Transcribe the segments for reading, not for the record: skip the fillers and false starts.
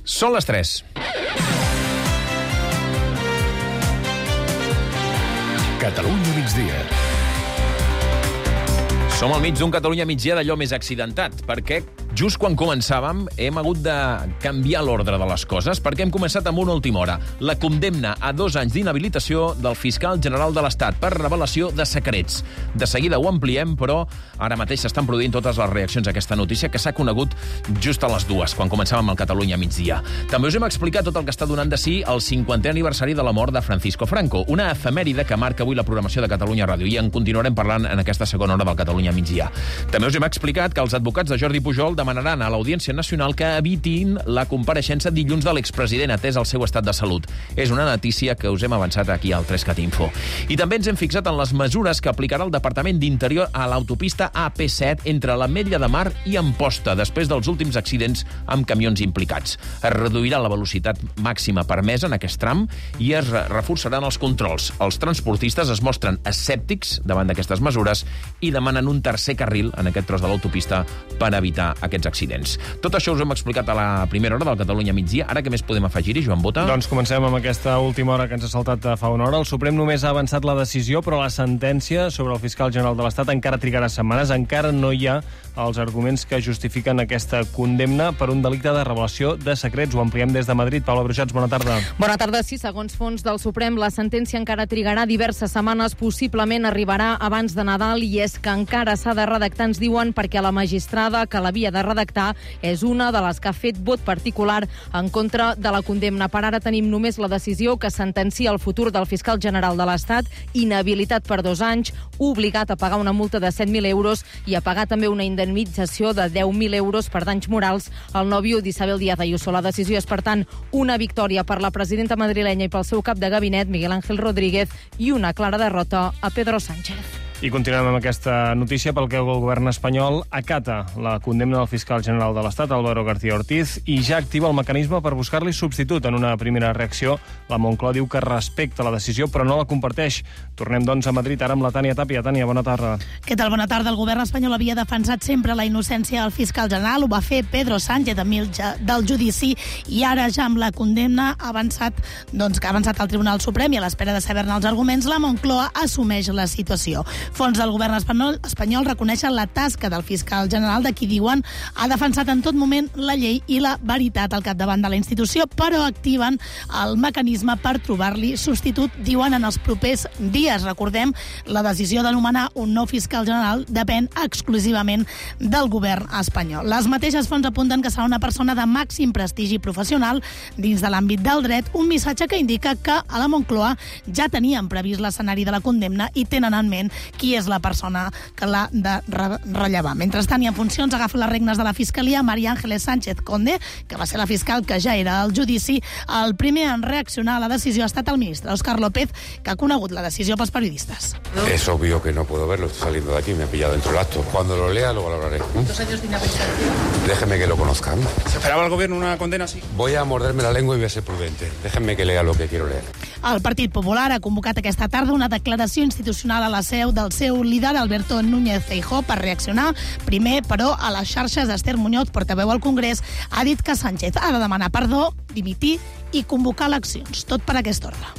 Són les 3. Catalunya migdia. Som al mig d'un Catalunya migdia d'allò més accidentat, perquè just quan començàvem hem hagut de canviar l'ordre de les coses, perquè hem començat amb una última hora. La condemna a 2 anys d'inhabilitació del fiscal general de l'Estat per revelació de secrets. De seguida ho ampliem, però ara mateix s'estan produint totes les reaccions a aquesta notícia que s'ha conegut just a les 2, quan començàvem al Catalunya migdia. També us hem explicat tot el que està donant de si el 50è aniversari de la mort de Francisco Franco, una efemèride que marca avui la programació de Catalunya Ràdio, i en continuarem parlant en aquesta segona hora del Catalunya migdia. També us hem explicat que els advocats de Jordi Pujol demanaran a l'Audiència Nacional que evitin la compareixença dilluns de l'expresident, atès el seu estat de salut. És una notícia que us hem avançat aquí al 3CatInfo. I també ens hem fixat en les mesures que aplicarà el Departament d'Interior a l'autopista AP7 entre l'Ametlla de Mar i Amposta, després dels últims accidents amb camions implicats. Es reduirà la velocitat màxima permesa en aquest tram i es reforçaran els controls. Els transportistes es mostren escèptics davant d'aquestes mesures i demanen un tercer carril en aquest tros de l'autopista per evitar aquests accidents. Tot això us ho hem explicat a la primera hora del Catalunya migdia. Ara què més podem afegir-hi, Joan Bota? Doncs comencem amb aquesta última hora que ens ha saltat fa una hora. El Suprem només ha avançat la decisió, però la sentència sobre el fiscal general de l'Estat encara trigarà setmanes. Encara no hi ha els arguments que justifiquen aquesta condemna per un delicte de revelació de secrets. Ho ampliem des de Madrid. Paula Brujats, bona tarda. Bona tarda. Sí, segons fons del Suprem, la sentència encara trigarà diverses setmanes, possiblement arribarà abans de Nadal, i és que encara s'ha de redactar, ens diuen, perquè la magistrada que l'havia de redactar és una de les que ha fet vot particular en contra de la condemna. Per ara tenim només la decisió que sentencia el futur del fiscal general de l'Estat, inhabilitat per 2 anys, obligat a pagar una multa de 7.000 euros i a pagar també una indemnització de 10.000 euros per danys morals al nòvio d'Isabel Díaz Ayuso. La decisió és, per tant, una victòria per la presidenta madrilenya i pel seu cap de gabinet, Miguel Ángel Rodríguez, i una clara derrota a Pedro Sánchez. I continuem amb aquesta notícia pel que el govern espanyol acata la condemna del fiscal general de l'Estat, Álvaro García Ortiz, i ja activa el mecanisme per buscar-li substitut. En una primera reacció, la Moncloa diu que respecta la decisió, però no la comparteix. Tornem, doncs, a Madrid, ara amb la Tània Tàpia. Tània, bona tarda. Què tal? Bona tarda. El govern espanyol havia defensat sempre la innocència del fiscal general. Ho va fer Pedro Sánchez enmig del judici, i ara, ja amb la condemna, ha avançat al Tribunal Suprem, i a l'espera de saber-ne els arguments, la Moncloa assumeix la situació. Fons del govern espanyol reconeixen la tasca del fiscal general, de qui diuen ha defensat en tot moment la llei i la veritat al capdavant de la institució, però activen el mecanisme per trobar-li substitut, diuen, en els propers dies. Recordem, la decisió de nomenar un nou fiscal general depèn exclusivament del govern espanyol. Les mateixes fonts apunten que serà una persona de màxim prestigi professional dins de l'àmbit del dret, un missatge que indica que a la Moncloa ja tenien previst l'escenari de la condemna i tenen en ment qui és la persona que l'ha de rellevar. Mentrestant, i en funcions, agafa les regnes de la Fiscalia María Ángeles Sánchez Conde, que va ser la fiscal que ja era al judici. El primer en reaccionar a la decisió ha estat el ministre Óscar López, que ha conegut la decisió pels periodistes. Es obvio que no puedo verlo, estoy saliendo de aquí, me ha pillado dentro del acto. Cuando lo lea, lo valoraré. 2 años de inhabilitación. Déjeme que lo conozcan. ¿Se esperaba el gobierno una condena así? Voy a morderme la lengua y voy a ser prudente. Déjenme que lea lo que quiero leer. El Partit Popular ha convocat aquesta tarda una declaració institucional a la seu del seu líder, Alberto Núñez Feijóo, per reaccionar. Primer, però, a les xarxes, Esther Muñoz, portaveu al Congrés, ha dit que Sánchez ha de demanar perdó, dimitir i convocar eleccions. Tot per aquest ordre.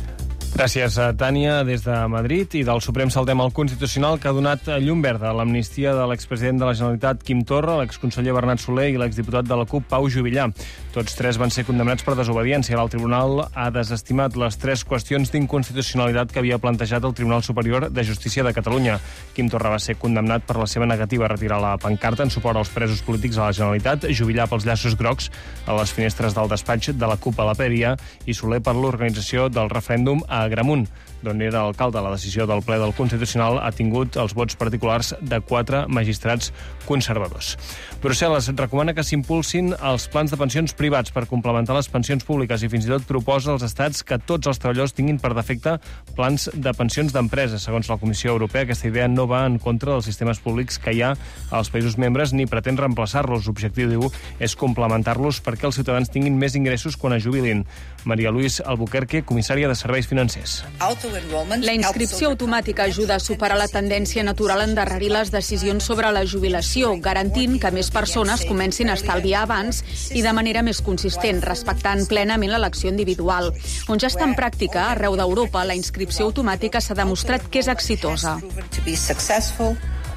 Gràcies, Tània, des de Madrid. I del Suprem saltem al Constitucional, que ha donat llum verda a l'amnistia de l'expresident de la Generalitat, Quim Torra, l'exconseller Bernat Soler i l'exdiputat de la CUP, Pau Juvillà. Tots 3 van ser condemnats per desobediència. El tribunal ha desestimat les 3 qüestions d'inconstitucionalitat que havia plantejat el Tribunal Superior de Justícia de Catalunya. Quim Torra va ser condemnat per la seva negativa a retirar la pancarta en suport als presos polítics a la Generalitat, Juvillà pels llaços grocs a les finestres del despatx de la CUP a la Peria i Soler per l'organització del referèndum a Agramunt, d'on era alcalde. La decisió del ple del Constitucional ha tingut els vots particulars de 4 magistrats conservadors. Brussel·les recomana que s'impulsin els plans de pensions privats per complementar les pensions públiques i fins i tot proposa als estats que tots els treballadors tinguin per defecte plans de pensions d'empresa. Segons la Comissió Europea, aquesta idea no va en contra dels sistemes públics que hi ha als països membres ni pretén reemplaçar-los. L'objectiu, diu, és complementar-los perquè els ciutadans tinguin més ingressos quan es jubilin. Maria Luis Albuquerque, comissària de Serveis Financers. La inscripció automàtica ajuda a superar la tendència natural a endarrerir les decisions sobre la jubilació, garantint que més persones comencin a estalviar abans i de manera més més consistent, respectant plenament l'elecció individual. On ja està en pràctica, arreu d'Europa, la inscripció automàtica s'ha demostrat que és exitosa.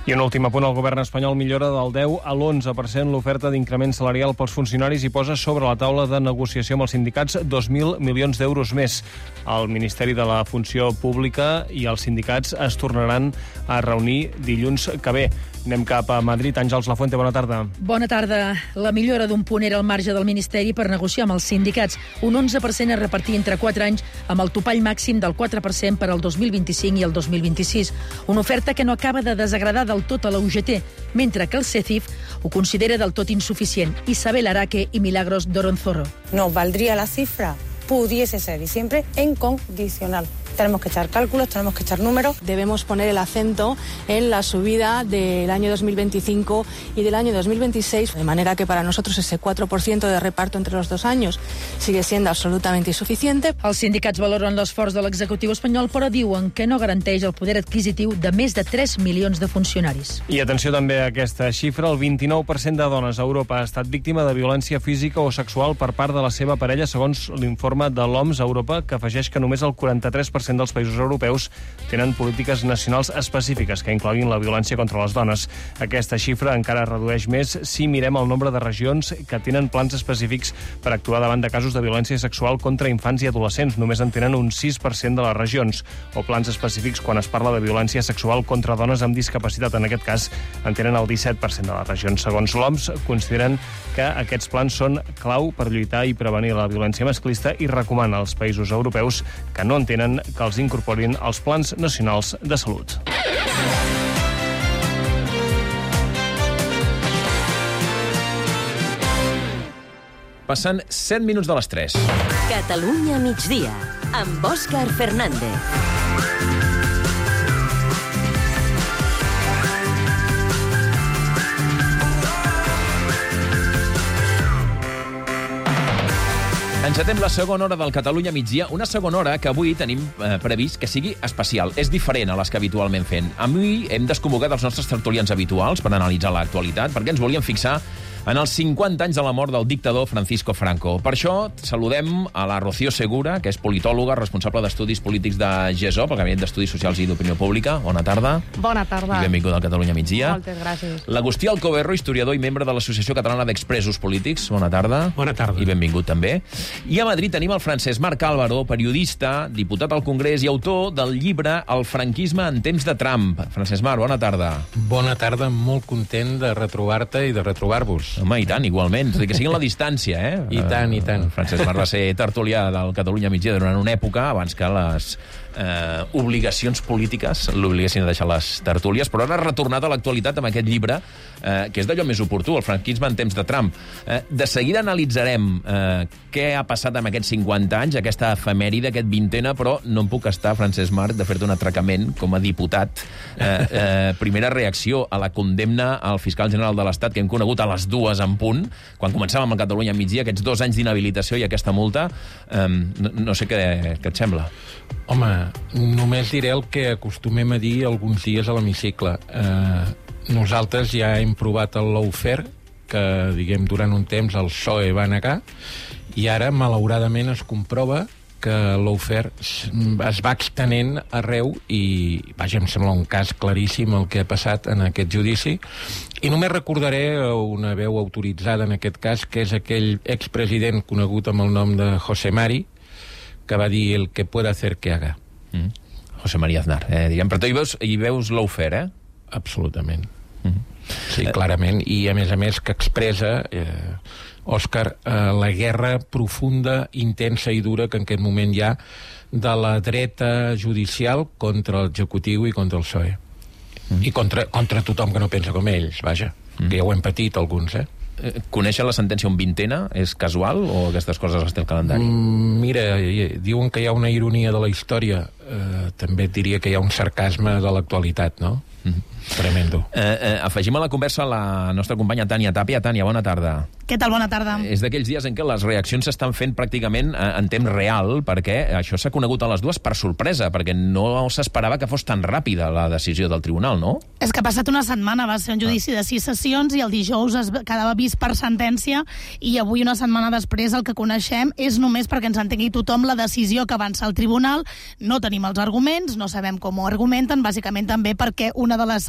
I un últim apunt, el govern espanyol millora del 10 a l'11% l'oferta d'increment salarial pels funcionaris i posa sobre la taula de negociació amb els sindicats 2.000 milions d'euros més. El Ministeri de la Funció Pública i els sindicats es tornaran a reunir dilluns que ve. Anem cap a Madrid. Àngels Lafuente, bona tarda. Bona tarda. La millora d'un punt era al marge del Ministeri per negociar amb els sindicats. Un 11% a repartir entre 4 anys amb el topall màxim del 4% per al 2025 i el 2026. Una oferta que no acaba de desagradar del tot a la UGT, mentre que el CECIF ho considera del tot insuficient. Isabel Araque i Milagros Doronzorro. No valdría la cifra, pudiese ser, y siempre en condicional. Tenemos que echar cálculos, tenemos que echar números. Debemos poner el acento en la subida del año 2025 y del año 2026, de manera que para nosotros ese 4% de reparto entre los 2 años sigue siendo absolutamente insuficiente. Els sindicats valoren l'esforç de l'executiu espanyol, però diuen que no garanteix el poder adquisitiu de més de 3 milions de funcionaris. I atenció també a aquesta xifra, el 29% de dones a Europa ha estat víctima de violència física o sexual per part de la seva parella, segons l'informe de l'OMS a Europa, que afegeix que només el 43% dels països europeus tenen polítiques nacionals específiques que incloguin la violència contra les dones. Aquesta xifra encara redueix més si mirem el nombre de regions que tenen plans específics per actuar davant de casos de violència sexual contra infants i adolescents. Només en tenen un 6% de les regions, o plans específics quan es parla de violència sexual contra dones amb discapacitat. En aquest cas, en tenen el 17% de les regions. Segons l'OMS, consideren que aquests plans són clau per lluitar i prevenir la violència masclista i recomana als països europeus que no en tenen que els incorporin als plans nacionals de salut. Passen 7 minuts de les 3. Catalunya migdia, amb Òscar Fernández. Encetem la segona hora del Catalunya migdia, una segona hora que avui tenim previst que sigui especial. És diferent a les que habitualment fem. Avui hem desconvocat els nostres tertulians habituals per analitzar l'actualitat, perquè ens volíem fixar en els 50 anys de la mort del dictador Francisco Franco. Per això saludem a la Rocío Segura, que és politòloga, responsable d'estudis polítics de GESOP, el Gabinet d'Estudis Socials i d'Opinió Pública. Bona tarda. Bona tarda. I benvingut al Catalunya migdia. Moltes gràcies. L'Agustí Alcoberro, historiador i membre de l'Associació Catalana d'Expresos Polítics. Bona tarda. Bona tarda. I benvingut també. I a Madrid tenim el Francesc Marc Álvaro, periodista, diputat al Congrés i autor del llibre El franquisme en temps de Trump. Francesc Marc, bona tarda. Bona tarda, molt content de retrobar-te i de retrobar-vos. Home, i tant, igualment. Tot i que sigui en la distància, eh? I tant, i tant. Francesc Marc va ser tertulià del Catalunya migdia durant una època, abans que les obligacions polítiques l'obliguessin a deixar les tertúlies, però ara ha retornat a l'actualitat amb aquest llibre, que és d'allò més oportú, el franquisme en temps de Trump. De seguida analitzarem què ha passat amb aquests 50 anys, aquesta efemèride, aquest vintena, però no em puc estar, Francesc Marc, de fer-te un atracament com a diputat. Primera reacció a la condemna al fiscal general de l'Estat, que hem conegut a les 2 en punt, quan començàvem a Catalunya migdia, aquests 2 anys d'inhabilitació i aquesta multa. No sé què et sembla. Home, només diré el que acostumem a dir alguns dies a l'hemicicle. Nosaltres ja hem provat el lawfare, que, diguem, durant un temps el PSOE va negar, i ara, malauradament, es comprova que el lawfare es va extenent arreu i, vaja, em sembla un cas claríssim el que ha passat en aquest judici. I només recordaré una veu autoritzada en aquest cas, que és aquell expresident conegut amb el nom de José Mari, que va dir el que pueda hacer que haga. José María Aznar, diguem. Però tu hi veus lawfare, Absolutament. Sí, clarament. I, a més, que expressa, Òscar, la guerra profunda, intensa i dura que en aquest moment hi ha de la dreta judicial contra l'executiu i contra el PSOE. I contra tothom que no pensa com ells, vaja. Que ja ho hem patit alguns, Conèixer la sentència un vintena és casual o aquestes coses les té el calendari? Mira, diuen que hi ha una ironia de la història. També et diria que hi ha un sarcasme de l'actualitat, no? Tremendo. Afegim a la conversa la nostra companya Tània Tàpia. Tània, bona tarda. Què tal? Bona tarda. És d'aquells dies en què les reaccions s'estan fent pràcticament en temps real, perquè això s'ha conegut a les dues per sorpresa, perquè no s'esperava que fos tan ràpida la decisió del tribunal, no? És que ha passat una setmana, va ser un judici de 6 sessions i el dijous es quedava vist per sentència i avui, una setmana després, el que coneixem és només perquè ens entengui tothom la decisió que avança el tribunal. No tenim els arguments, no sabem com ho argumenten, bàsicament també perquè una de les,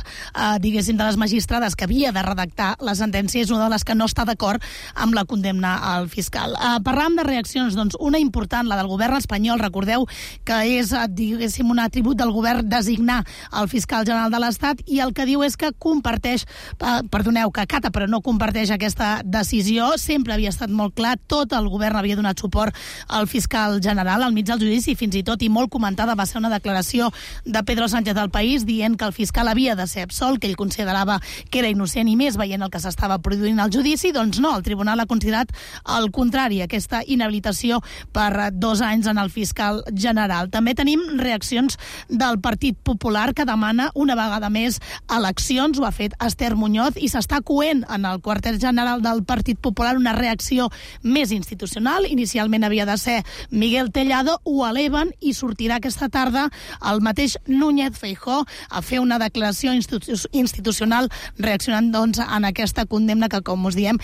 diguéssim, de les magistrades que havia de redactar la sentència és una de les que no està d'acord amb la condemna al fiscal. Parlàvem de reaccions, doncs una important, la del govern espanyol. Recordeu que és, diguéssim, un atribut del govern designar el fiscal general de l'Estat i el que diu és que comparteix, que acata però no comparteix aquesta decisió. Sempre havia estat molt clar, tot el govern havia donat suport al fiscal general al mig del judici, fins i tot, i molt comentada va ser una declaració de Pedro Sánchez al País dient que el fiscal havia de ser absolt, que ell considerava que era innocent i més veient el que s'estava produint al judici. Doncs no, el tribunal ha considerat el contrari, aquesta inhabilitació per 2 anys en el fiscal general. També tenim reaccions del Partit Popular que demana una vegada més eleccions. Ho ha fet Esther Muñoz i s'està coent en el quarter general del Partit Popular una reacció més institucional. Inicialment havia de ser Miguel Tellado, ho eleven i sortirà aquesta tarda el mateix Núñez Feijóo a fer una declaració institucional reaccionant doncs en aquesta condemna que, com us diem,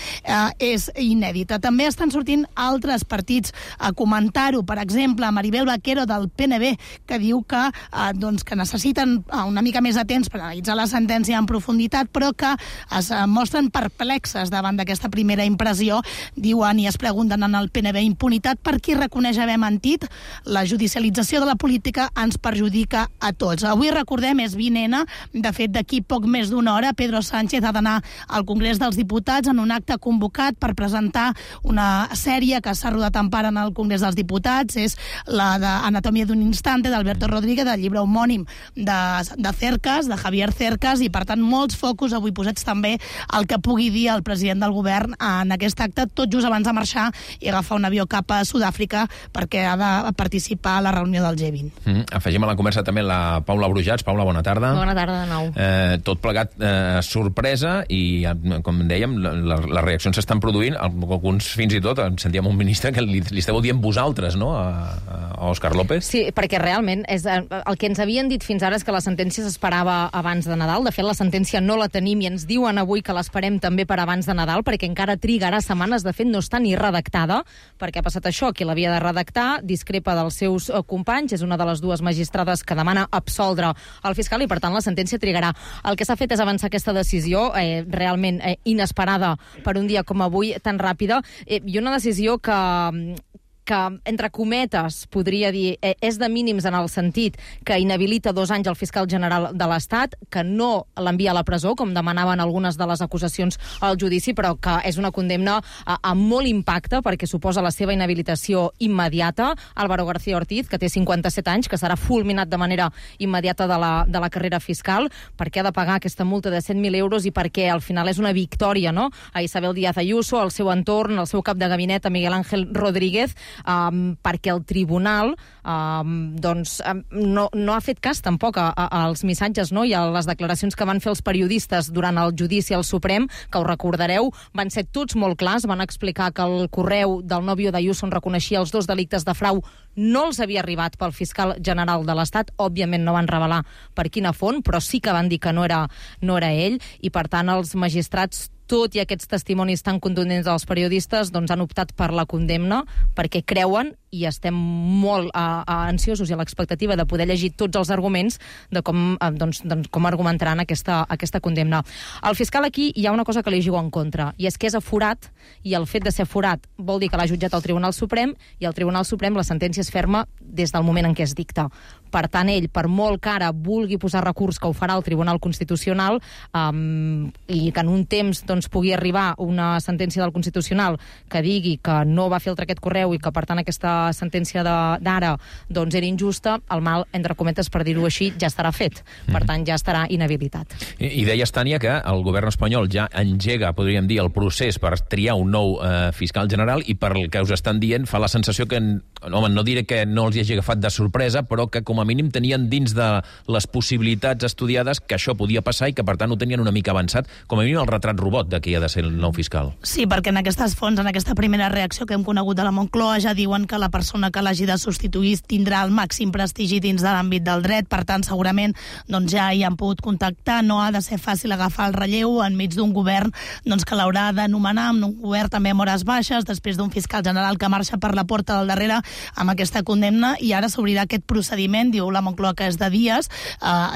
és inèdita. També estan sortint altres partits a comentar-ho. Per exemple, Maribel Vaquero del PNB, que diu que necessiten una mica més de temps per analitzar la sentència en profunditat, però que es mostren perplexes davant d'aquesta primera impressió. Diuen i es pregunten en el PNB: impunitat per qui reconeix haver mentit? La judicialització de la política ens perjudica a tots. Avui, recordem, és 20N. De fet, d'aquí poc més d'una hora, Pedro Sánchez ha d'anar al Congrés dels Diputats en un acte convocat per presentar una sèrie que s'ha rodat en part en el Congrés dels Diputats. És la d'Anatomia d'un instante, d'Alberto Rodríguez, del llibre homònim de Cercas, de Javier Cercas, i per tant molts focus avui posats també al que pugui dir el president del govern en aquest acte, tot just abans de marxar i agafar un avió cap a Sud-àfrica perquè ha de participar a la reunió del G20. Afegim a la conversa també la Paula Brujats. Paula, bona tarda. Bona tarda de nou. Tot plegat sorpresa i, com dèiem, les reaccions s'estan produint. Alguns, fins i tot, sentíem un ministre que li esteu dient vosaltres, no?, a Òscar López. Sí, perquè realment el que ens havien dit fins ara és que la sentència s'esperava abans de Nadal. De fet, la sentència no la tenim i ens diuen avui que l'esperem també per abans de Nadal, perquè encara trigarà setmanes. De fet, no està ni redactada, perquè ha passat això. Qui l'havia de redactar discrepa dels seus companys. És una de les dues magistrades que demana absoldre el fiscal i, per tant, la sentència trigarà. El que s'ha fet és avançar aquesta decisió realment inesperada per un dia com avui, tan ràpida, i una decisió que, entre cometes, podria dir, és de mínims en el sentit que inhabilita 2 anys el fiscal general de l'Estat, que no l'envia a la presó, com demanaven algunes de les acusacions al judici, però que és una condemna amb molt impacte, perquè suposa la seva inhabilitació immediata. Álvaro García Ortiz, que té 57 anys, que serà fulminat de manera immediata de la carrera fiscal, perquè ha de pagar aquesta multa de 100.000 euros i perquè al final és una victòria, no?, a Isabel Díaz Ayuso, al seu entorn, al seu cap de gabinet, a Miguel Ángel Rodríguez, perquè el tribunal no ha fet cas tampoc als missatges, no?, i a les declaracions que van fer els periodistes durant el judici al Suprem, que ho recordareu, van ser tots molt clars, van explicar que el correu del nòvio d'Ayuso on reconeixia els 2 delictes de frau no els havia arribat pel fiscal general de l'Estat. Òbviament no van revelar per quina font, però sí que van dir que no era ell, i per tant els magistrats, tot i aquests testimonis tan contundents dels periodistes, doncs han optat per la condemna perquè creuen, i estem molt ansiosos i a l'expectativa de poder llegir tots els arguments de com argumentaran aquesta condemna. Al fiscal aquí hi ha una cosa que li juga en contra, i és que és aforat, i el fet de ser aforat vol dir que l'ha jutjat el Tribunal Suprem, i al Tribunal Suprem la sentència és ferma des del moment en què es dicta. Per tant, ell, per molt que ara vulgui posar recurs, que ho farà al Tribunal Constitucional, i que en un temps pugui arribar una sentència del Constitucional que digui que no va filtrar aquest correu i que, per tant, aquesta sentència d'ara era injusta, el mal, entre cometes, per dir-ho així, ja estarà fet. Per tant, ja estarà inhabilitat. I deies, Tània, que el govern espanyol ja engega, podríem dir, el procés per triar un nou fiscal general, i per el que us estan dient fa la sensació que home, no diré que no els hi hagi agafat de sorpresa, però que com a mínim tenien dins de les possibilitats estudiades que això podia passar i que, per tant, ho tenien una mica avançat, com a mínim el retrat robot de qui ha de ser el nou fiscal. Sí, perquè en aquestes fonts, en aquesta primera reacció que hem conegut de la Moncloa, ja diuen que la persona que l'hagi de substituir tindrà el màxim prestigi dins de l'àmbit del dret, per tant, segurament doncs, ja hi han pogut contactar, no ha de ser fàcil agafar el relleu enmig d'un govern doncs, que l'haurà d'anomenar, amb un govern també amb hores baixes, després d'un fiscal general que marxa per la porta del darrere amb aquesta condemna, i ara s'obrirà aquest procediment, diu la Moncloa que és de dies,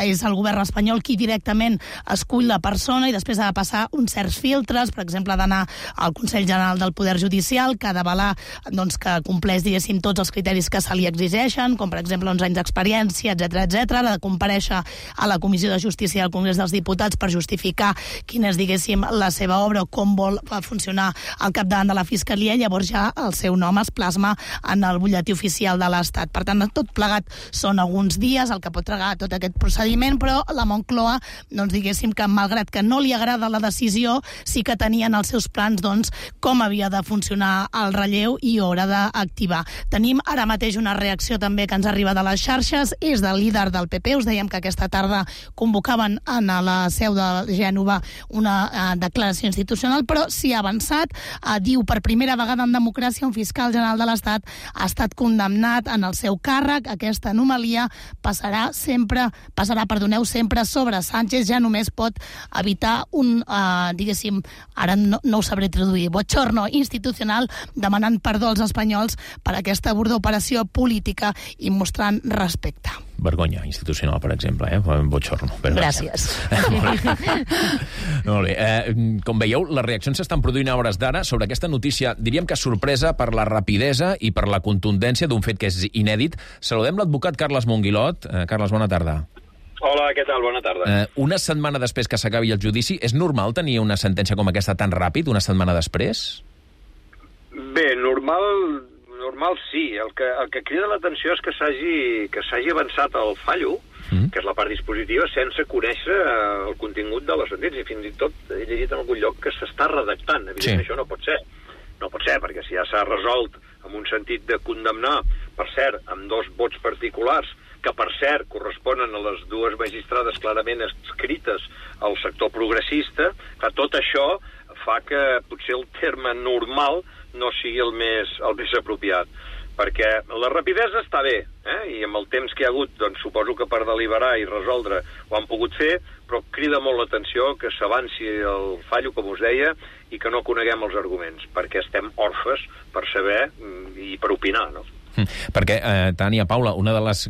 és el govern espanyol qui directament escull la persona i després ha de passar uns certs filtres, per exemple, ha d'anar al Consell General del Poder Judicial, que ha d'avalar doncs, que compleix, diguéssim, tots els criteris que se li exigeixen, com per exemple 11 anys d'experiència, etc. Ha de comparèixer a la Comissió de Justícia del Congrés dels Diputats per justificar quina és, diguéssim, la seva obra o com vol funcionar al capdavant de la Fiscalia, i llavors ja el seu nom es plasma en el butlletí oficial de l'Estat. Per tant, tot plegat són alguns dies el que pot tragar tot aquest procediment, però la Moncloa, doncs diguéssim que malgrat que no li agrada la decisió, sí que tenien els seus plans doncs, com havia de funcionar el relleu i haurà d'activar. Tenim ara mateix una reacció també que ens arriba de les xarxes, és del líder del PP, us dèiem que aquesta tarda convocaven a la seu de Gènova una declaració institucional, però s'hi ha avançat, diu per primera vegada en democràcia un fiscal general de l'Estat ha estat condemnat en el seu càrrec. Aquesta anomalia passarà sempre sobre Sánchez, ja només pot evitar un, diguéssim, ara no ho sabré traduir, bochorno institucional, demanant perdó als espanyols per aquesta burda operació política i mostrant respecte. Vergonya institucional, per exemple, bochorno. Gràcies. Molt bé. Com veieu, les reaccions s'estan produint a hores d'ara sobre aquesta notícia, diríem que sorpresa per la rapidesa i per la contundència d'un fet que és inèdit. Saludem l'advocat Carles Monguilot. Carles, bona tarda. Hola, què tal? Bona tarda. Una setmana després que s'acabi el judici, és normal tenir una sentència com aquesta tan ràpid, una setmana després? Bé, normal sí. El que crida l'atenció és que s'hagi avançat el fallo, que és la part dispositiva, sense conèixer el contingut de la sentència. Fins i tot he llegit en algun lloc que s'està redactant. Evidentment, això no pot ser. No pot ser, perquè si ja s'ha resolt en un sentit de condemnar, per cert, amb 2 vots particulars, que per cert corresponen a les 2 magistrades clarament escrites al sector progressista, que tot això fa que potser el terme normal no sigui el més apropiat. Perquè la rapidesa està bé, i amb el temps que hi ha hagut, doncs suposo que per deliberar i resoldre ho han pogut fer, però crida molt l'atenció que s'avanci el fallo, com us deia, i que no coneguem els arguments, perquè estem orfes per saber i per opinar, no? Perquè, Tània, Paula, una de les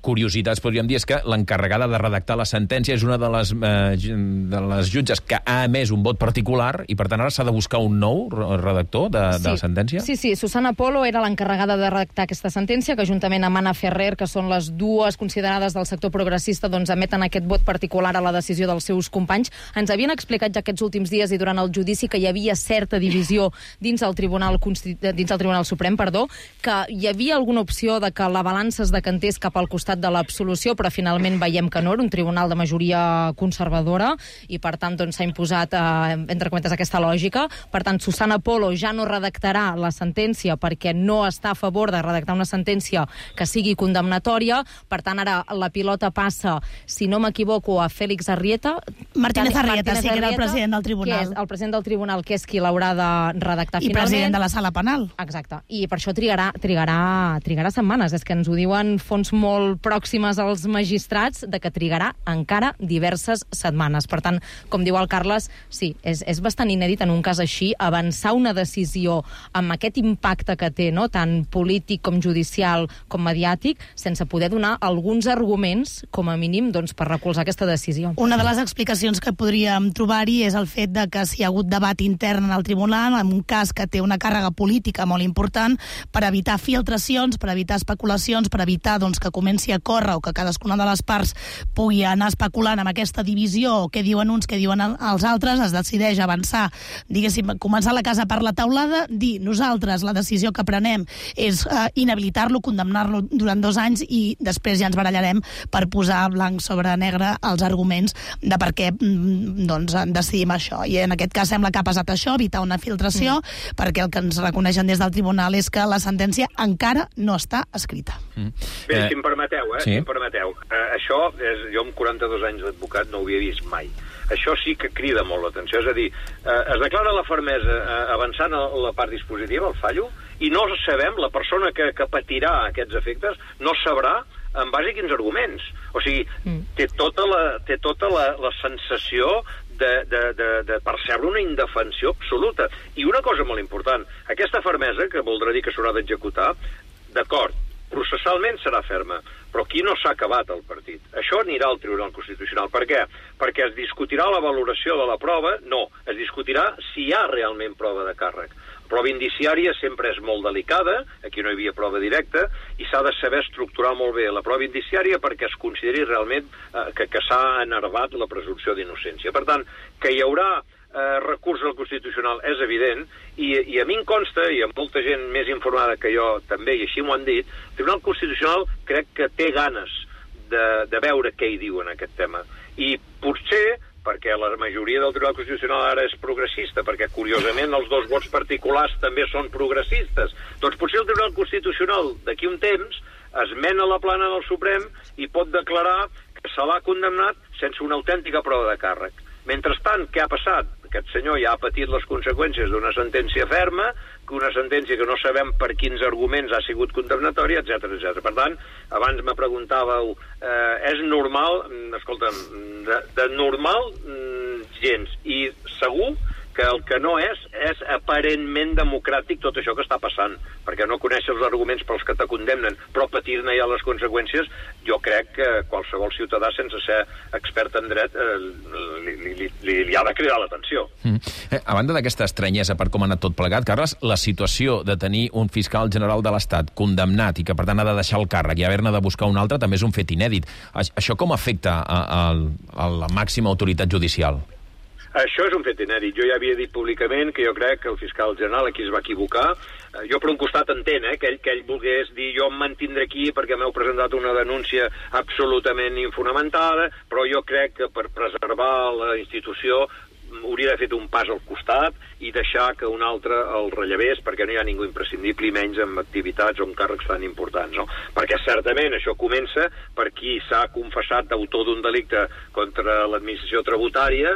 curiositats, podríem dir, és que l'encarregada de redactar la sentència és una de les jutges que ha emès un vot particular i, per tant, ara s'ha de buscar un nou redactor de la sentència? Sí. Susana Polo era l'encarregada de redactar aquesta sentència, que juntament amb Anna Ferrer, que són les 2 considerades del sector progressista, doncs emeten aquest vot particular a la decisió dels seus companys. Ens havien explicat ja aquests últims dies i durant el judici que hi havia certa divisió dins el Tribunal Suprem, que hi havia alguna opció de que la balança es decantés cap al costat de l'absolució, però finalment veiem que no, era un tribunal de majoria conservadora i per tant doncs, s'ha imposat, entre cometes, aquesta lògica. Per tant, Susana Polo ja no redactarà la sentència perquè no està a favor de redactar una sentència que sigui condemnatòria. Per tant, ara la pilota passa, si no m'equivoco, a Félix Arrieta. Martínez Arrieta, sí, que era el president del tribunal. Que és el president del tribunal, que és qui l'haurà de redactar finalment. I president de la sala penal. Exacte. I per això trigarà setmanes. És que ens ho diuen fonts molt pròximes als magistrats de que trigarà encara diverses setmanes. Per tant, com diu el Carles, sí, és bastant inèdit en un cas així avançar una decisió amb aquest impacte que té, no? Tant polític com judicial com mediàtic, sense poder donar alguns arguments, com a mínim, doncs, per recolzar aquesta decisió. Una de les explicacions que podríem trobar-hi és el fet de que si hi ha hagut debat intern en el tribunal, en un cas que té una càrrega política molt important, per evitar filtracions, per evitar especulacions, per evitar doncs, que comenci a córrer o que cadascuna de les parts pugui anar especulant amb aquesta divisió o què diuen uns, què diuen els altres, es decideix avançar, diguéssim, començar la casa per la taulada, dir nosaltres la decisió que prenem és inhabilitar-lo, condemnar-lo durant 2 anys i després ja ens barallarem per posar blanc sobre negre els arguments de per què doncs, decidim això. I en aquest cas sembla que ha passat això, evitar una filtració, perquè el que ens reconeixen des del tribunal és que la sentència encara encara no està escrita. Bé, si em permeteu, si em permeteu. Això, jo amb 42 anys d'advocat no ho havia vist mai. Això sí que crida molt l'atenció. És a dir, es declara la fermesa avançant a la part dispositiva, el fallo, i no sabem, la persona que patirà aquests efectes no sabrà en base a quins arguments. O sigui, té tota la sensació de percebre una indefensió absoluta. I una cosa molt important, aquesta fermesa, que voldrà dir que s'haurà d'executar, d'acord, processalment serà ferma, però aquí no s'ha acabat el partit. Això anirà al Tribunal Constitucional. Per què? Perquè es discutirà la valoració de la prova? No, es discutirà si hi ha realment prova de càrrec. La prova indiciària sempre és molt delicada, aquí no hi havia prova directa, i s'ha de saber estructurar molt bé la prova indiciària perquè es consideri realment que s'ha enervat la presumpció d'innocència. Per tant, que hi haurà recurs al Constitucional és evident, i a mi em consta, i a molta gent més informada que jo també, i així m'ho han dit, el Tribunal Constitucional crec que té ganes de veure què hi diu en aquest tema. I potser, perquè la majoria del Tribunal Constitucional ara és progressista, perquè curiosament els dos vots particulars també són progressistes, doncs potser el Tribunal Constitucional d'aquí un temps es mena a la plana del Suprem i pot declarar que se l'ha condemnat sense una autèntica prova de càrrec. Mentrestant, què ha passat? Aquest senyor ja ha patit les conseqüències d'una sentència ferma, una sentència que no sabem per quins arguments ha sigut condemnatòria, etc. Per tant, abans me preguntàveu, és normal? Escolta'm, de normal, gens. I segur que el que no és aparentment democràtic tot això que està passant, perquè no coneixes els arguments pels que te condemnen, però patir-ne ja les conseqüències, jo crec que qualsevol ciutadà, sense ser expert en dret, li ha de cridar l'atenció. A banda d'aquesta estranyesa per com ha anat tot plegat, Carles, la situació de tenir un fiscal general de l'Estat condemnat i que per tant ha de deixar el càrrec i haver-ne de buscar un altre també és un fet inèdit. Això com afecta a la màxima autoritat judicial? Això és un fet inèdit. Jo ja havia dit públicament que jo crec que el fiscal general aquí es va equivocar. Jo per un costat entenc que ell volgués dir jo em mantindré aquí perquè m'heu presentat una denúncia absolutament infonamentada, però jo crec que per preservar la institució hauria d'haver fet un pas al costat i deixar que un altre el rellevés, perquè no hi ha ningú imprescindible i menys amb activitats o amb càrrecs tan importants, no? Perquè certament això comença per qui s'ha confessat d'autor d'un delicte contra l'administració tributària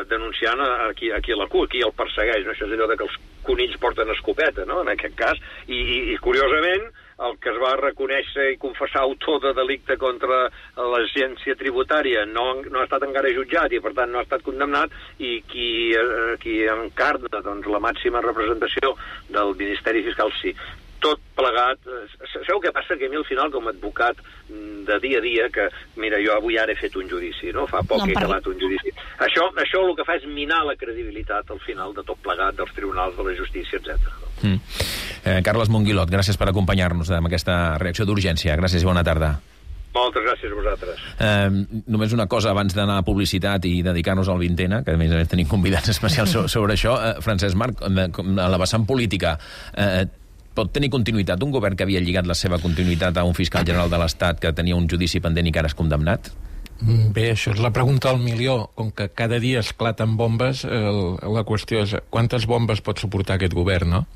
denunciant a qui el persegueix, no? Això és allò que els conills porten escopeta, no? En aquest cas, i curiosament el que es va reconèixer i confessar autor de delicte contra l'agència tributària no ha estat encara jutjat i per tant no ha estat condemnat, i qui encarna doncs, la màxima representació del Ministeri Fiscal sí. Tot plegat, sabeu què passa? Que a mi al final com a advocat de dia a dia, que mira, jo avui ara he fet un judici, no? Fa poc he acabat un judici. Això el que fa és minar la credibilitat al final de tot plegat, dels tribunals, de la justícia, etc. Carles Monguilot, gràcies per acompanyar-nos amb aquesta reacció d'urgència. Gràcies i bona tarda. Moltes gràcies a vosaltres. Només una cosa abans d'anar a publicitat i dedicar-nos al Vintena, que a més tenim convidats especials sobre això. Francesc Marc, a la vessant política, pot tenir continuïtat un govern que havia lligat la seva continuïtat a un fiscal general de l'Estat que tenia un judici pendent i que ara és condemnat? Bé, això és la pregunta al milió. Com que cada dia esclaten bombes, la qüestió és quantes bombes pot suportar aquest govern, no?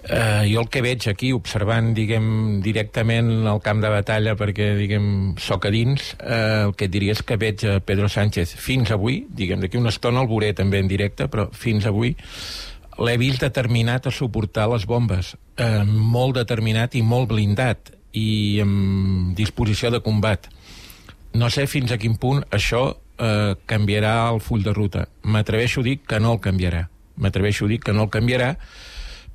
Jo el que veig aquí, observant, diguem, directament el camp de batalla, perquè, diguem, soc a dins, el que et diria és que veig a Pedro Sánchez fins avui, diguem, d'aquí una estona el veuré també en directe, però fins avui l'he vist determinat a suportar les bombes, molt determinat i molt blindat, i amb disposició de combat. No sé fins a quin punt això canviarà el full de ruta. M'atreveixo a dir que no el canviarà.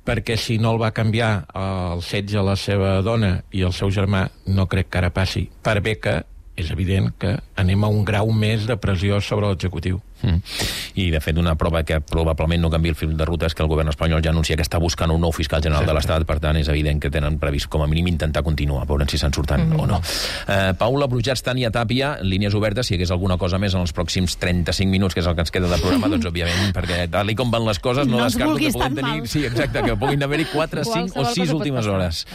Perquè si no el va canviar el setge a la seva dona i el seu germà, no crec que ara passi. Per bé que és evident que anem a un grau més de pressió sobre l'executiu. I, de fet, una prova que probablement no canvia el fil de ruta és que el govern espanyol ja anuncia que està buscant un nou fiscal general de l'Estat, per tant, és evident que tenen previst, com a mínim, intentar continuar, veurem si se'n surten o no. Paula Brujats, Tània Tàpia, línies obertes, si hi hagués alguna cosa més en els pròxims 35 minuts, que és el que ens queda de programa, doncs, òbviament, perquè tal com van les coses, no descarto que puguin tenir... Sí, exacte, que puguin haver-hi 4, 5 o 6 últimes hores.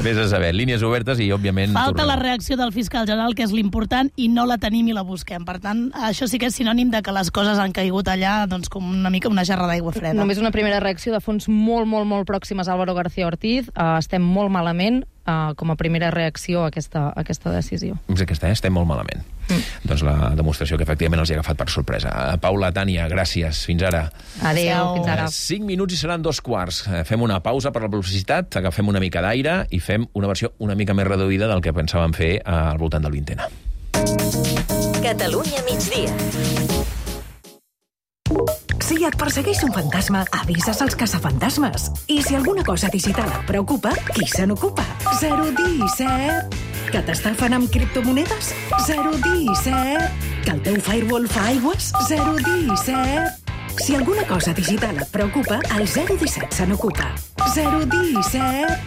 Vés a saber, línies obertes i, òbviament... Falta la reacció del fiscal general, que és l'important, i no la tenim i la busquem. Per tant, això sí que és sinònim de que les coses han caigut allà doncs, com una mica una gerra d'aigua freda. Només una primera reacció de fonts molt, molt, molt pròximes a Álvaro García Ortiz. Estem molt malament com a primera reacció a aquesta decisió. És aquesta, estem molt malament. Doncs la demostració que efectivament els ha agafat per sorpresa. Paula, Tània, gràcies. Fins ara. Adéu, fins ara. 5 minuts i seran 2:15. Fem una pausa per la publicitat, agafem una mica d'aire i fem una versió una mica més reduïda del que pensàvem fer al voltant del 20ena. Catalunya migdia. Si et persegueix un fantasma, avises als caçafantasmes. I si alguna cosa digital et preocupa, qui se n'ocupa? 017. Que t'estafen amb criptomonedes? 017. Que el teu firewall fa aigües? 017. Si alguna cosa digital et preocupa, el 017 se n'ocupa. 017.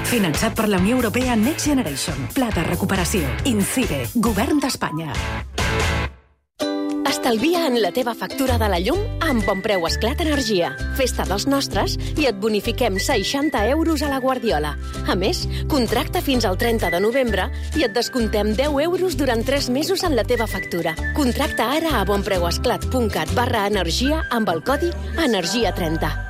Finançat per la Unió Europea Next Generation. Pla de recuperació. INCIBE. Govern d'Espanya. Estalvia en la teva factura de la llum amb Bonpreu Esclat Energia. Festa dels nostres i et bonifiquem 60 euros a la Guardiola. A més, contracta fins al 30 de novembre i et descomptem 10 euros durant 3 mesos en la teva factura. Contracta ara a bonpreuesclat.cat/energia amb el codi ENERGIA30.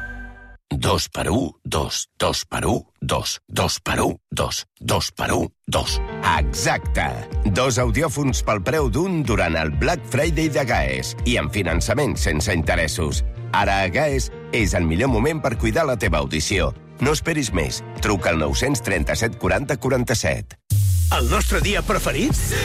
2 per 1, 2, 2 per 1, 2, 2 per 1, 2, 2 per 1, 2. Exacte. 2 audiòfons pel preu d'un durant el Black Friday de GAES i amb finançament sense interessos. Ara a GAES és el millor moment per cuidar la teva audició. No esperis més. Truca al 937 40 47. El nostre dia preferit? Sí!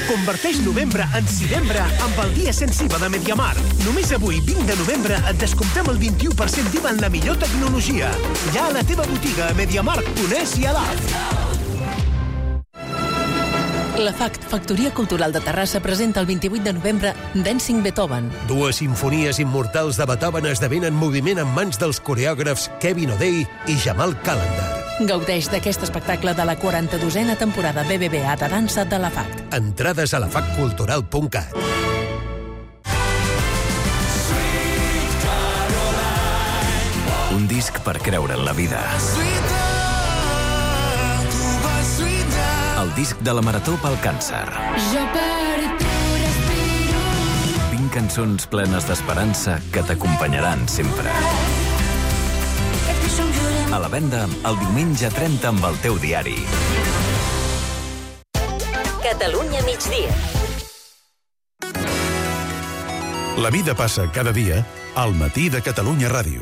Converteix novembre en Civembre amb el dia sense IVA de Mediamarkt. Només avui, 20 de novembre, et descomptem el 21% d'IVA en la millor tecnologia. Ja a la teva botiga a Mediamarkt.es i a l'app. La FACT, Factoria Cultural de Terrassa, presenta el 28 de novembre Dancing Beethoven. 2 simfonies immortals de Beethoven esdevenen moviment en mans dels coreògrafs Kevin O'Day i Jamal Calendar. Gaudeix d'aquest espectacle de la 42a temporada BBVA de dansa de la FACT. Entrades a lafactcultural.cat. Un disc per creure en la vida. El disc de la Marató pel Càncer. 20 cançons plenes d'esperança que t'acompanyaran sempre. A la venda el diumenge 30 amb el teu diari. Catalunya migdia. La vida passa cada dia al matí de Catalunya Ràdio.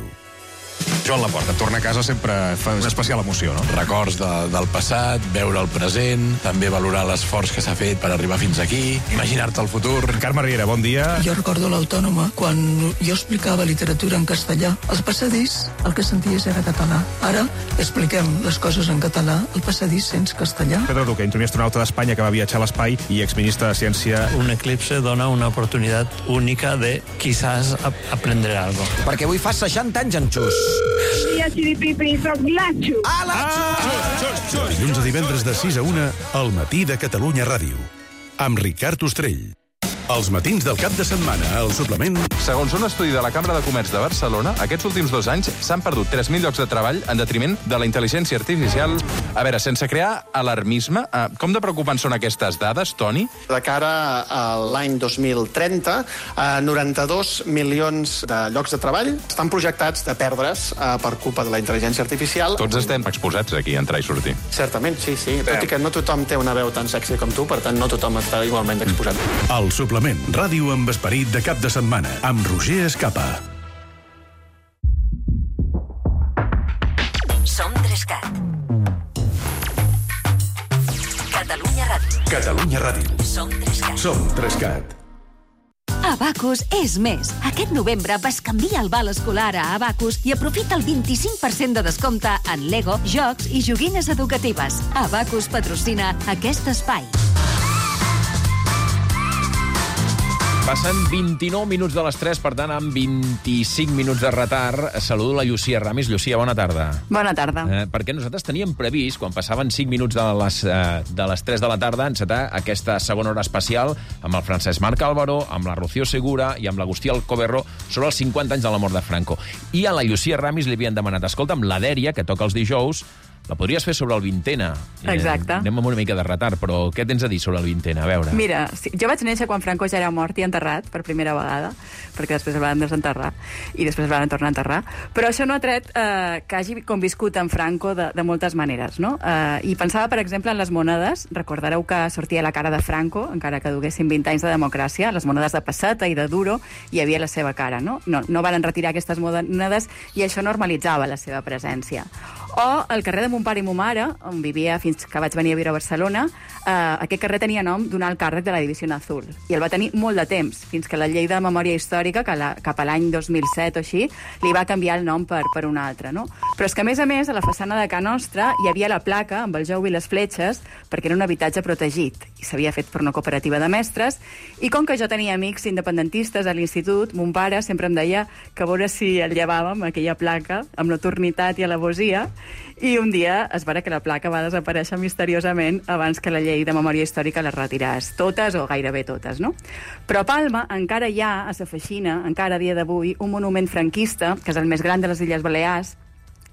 Joan Laporta, tornar a casa sempre fa una especial emoció, no? Records del passat, veure el present, també valorar l'esforç que s'ha fet per arribar fins aquí, imaginar-te el futur. Carme Riera, bon dia. Jo recordo l'Autònoma, quan jo explicava literatura en castellà, al passadís el que senties era català. Ara expliquem les coses en català, al passadís sents castellà. Pedro Duque, primer astronauta d'Espanya que va viatjar a l'espai i exministre de Ciència. Un eclipse dona una oportunitat única de quizás aprender algo. Perquè avui fa 60 anys en Xus. Soc l'Atxo. Dilluns a divendres de 6 a 1 al matí de Catalunya Ràdio. Amb Ricard Ostrell. Els matins del cap de setmana, al suplement... Segons un estudi de la Cambra de Comerç de Barcelona, aquests últims 2 anys s'han perdut 3.000 llocs de treball en detriment de la intel·ligència artificial. A veure, sense crear alarmisme, com de preocupants són aquestes dades, Toni? De cara a l'any 2030, 92 milions de llocs de treball estan projectats de perdre's per culpa de la intel·ligència artificial. Tots estem exposats aquí a entrar i sortir. Certament, sí. Tot i que no tothom té una veu tan sexy com tu, per tant, no tothom està igualment exposat. El suplement. Ràdio amb esperit de cap de setmana, amb Roger Escapa. Som 3CAT. Catalunya Ràdio. Catalunya Ràdio. Som 3CAT. Som 3CAT. Abacus és més. Aquest novembre bescanvia el val escolar a Abacus i aprofita el 25% de descompte en Lego, jocs i joguines educatives. Abacus patrocina aquest espai. Passen 29 minuts de les 3, per tant, amb 25 minuts de retard. Saludo la Llucia Ramis. Llucia, bona tarda. Bona tarda. Perquè nosaltres teníem previst, quan passaven 5 minuts de les 3 de la tarda, encetar aquesta segona hora especial amb el Francesc Marc Álvaro, amb la Rocío Segura i amb l'Agustí Alcoberro sobre els 50 anys de la mort de Franco. I a la Llucia Ramis li havien demanat, escolta'm, la Dèria, que toca els dijous, La podries fer sobre el 20ena. Exacte. Anem amb una mica de retard, però què tens a dir sobre el 20ena? A veure. Mira, jo vaig néixer quan Franco ja era mort i enterrat per primera vegada, perquè després el van desenterrar i després el van tornar a enterrar. Però això no ha tret que hagi conviscut amb Franco de moltes maneres, no? I pensava, per exemple, en les monedes. Recordareu que sortia la cara de Franco, encara que duguessin 20 anys de democràcia, les monedes de peseta i de duro, hi havia la seva cara, no? No van retirar aquestes monedes i això normalitzava la seva presència. O el carrer de mon pare i ma mare, on vivia fins que vaig venir a viure a Barcelona, aquest carrer tenia nom d'un alt càrrec de la Divisió Azul. I el va tenir molt de temps, fins que la llei de memòria històrica, que cap a l'any 2007 o així, li va canviar el nom per un altre, no? Però és que, a més, a la façana de Ca Nostra hi havia la placa amb el jou i les fletxes, perquè era un habitatge protegit, i s'havia fet per una cooperativa de mestres, i com que jo tenia amics independentistes a l'institut, mon pare sempre em deia que a veure si el llevàvem, aquella placa, amb notornitat i alevosia, i un dia es veurà que la placa va desaparèixer misteriosament abans que la llei de memòria històrica les retiràs totes o gairebé totes, no? Però a Palma encara hi ha, a Sa Feixina, encara a dia d'avui, un monument franquista, que és el més gran de les Illes Balears.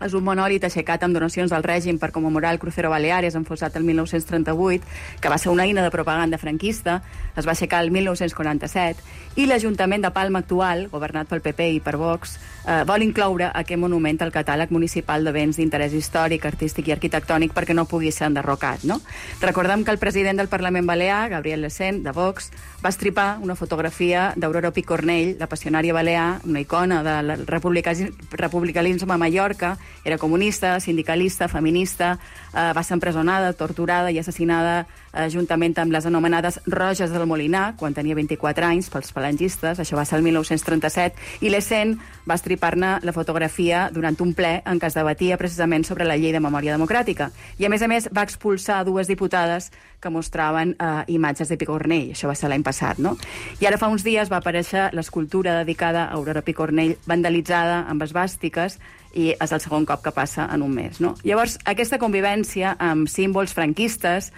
És un monòlit aixecat amb donacions del règim per commemorar el Crucero Baleares, enfonsat el 1938, que va ser una eina de propaganda franquista, es va aixecar el 1947, i l'Ajuntament de Palma actual, governat pel PP i per Vox, vol incloure aquest monument al catàleg municipal de béns d'interès històric, artístic i arquitectònic perquè no pugui ser enderrocat, no? Recordem que el president del Parlament Balear, Gabriel Lecén, de Vox, va estripar una fotografia d'Aurora Picornell, la passionària balear, una icona del republicanisme a Mallorca. Era comunista, sindicalista, feminista, va ser empresonada, torturada i assassinada juntament amb les anomenades Roges del Molinar, quan tenia 24 anys, pels falangistes. Això va ser el 1937, i Lecén va estripar-ne la fotografia durant un ple en què es debatia precisament sobre la llei de memòria democràtica. I, a més, va expulsar 2 diputades que mostraven imatges de Picornell. Això va ser l'any passat, no? I ara fa uns dies va aparèixer l'escultura dedicada a Aurora Picornell, vandalitzada amb esvàstiques, i és el segon cop que passa en un mes, no? Llavors, aquesta convivència amb símbols franquistes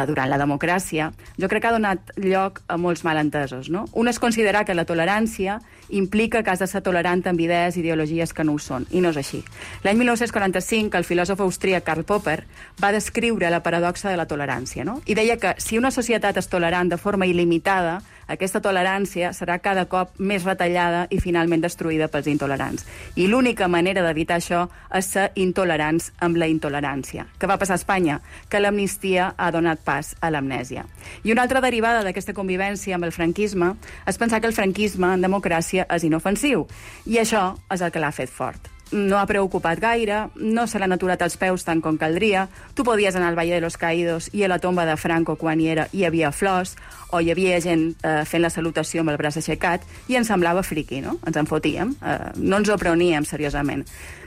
durant la democràcia, jo crec que ha donat lloc a molts malentesos, no? Un és considerar que la tolerància implica que has de ser tolerant amb idees i ideologies que no ho són, i no és així. L'any 1945, el filòsof austríac Karl Popper va descriure la paradoxa de la tolerància, no? I deia que si una societat és tolerant de forma il·limitada, aquesta tolerància serà cada cop més retallada i finalment destruïda pels intolerants. I l'única manera d'evitar això és ser intolerants amb la intolerància. Què va passar a Espanya? Que l'amnistia ha donat pas a l'amnèsia. I una altra derivada d'aquesta convivència amb el franquisme és pensar que el franquisme en democràcia és inofensiu. I això és el que l'ha fet fort. No ha preocupat gaire, no se l'han aturat els peus tant com caldria. Tu podies anar al Valle de los Caídos i a la tomba de Franco, quan hi havia flors, o hi havia gent fent la salutació amb el braç aixecat, i ens semblava friqui, no? Ens en fotíem, no ens ho preuníem seriosament.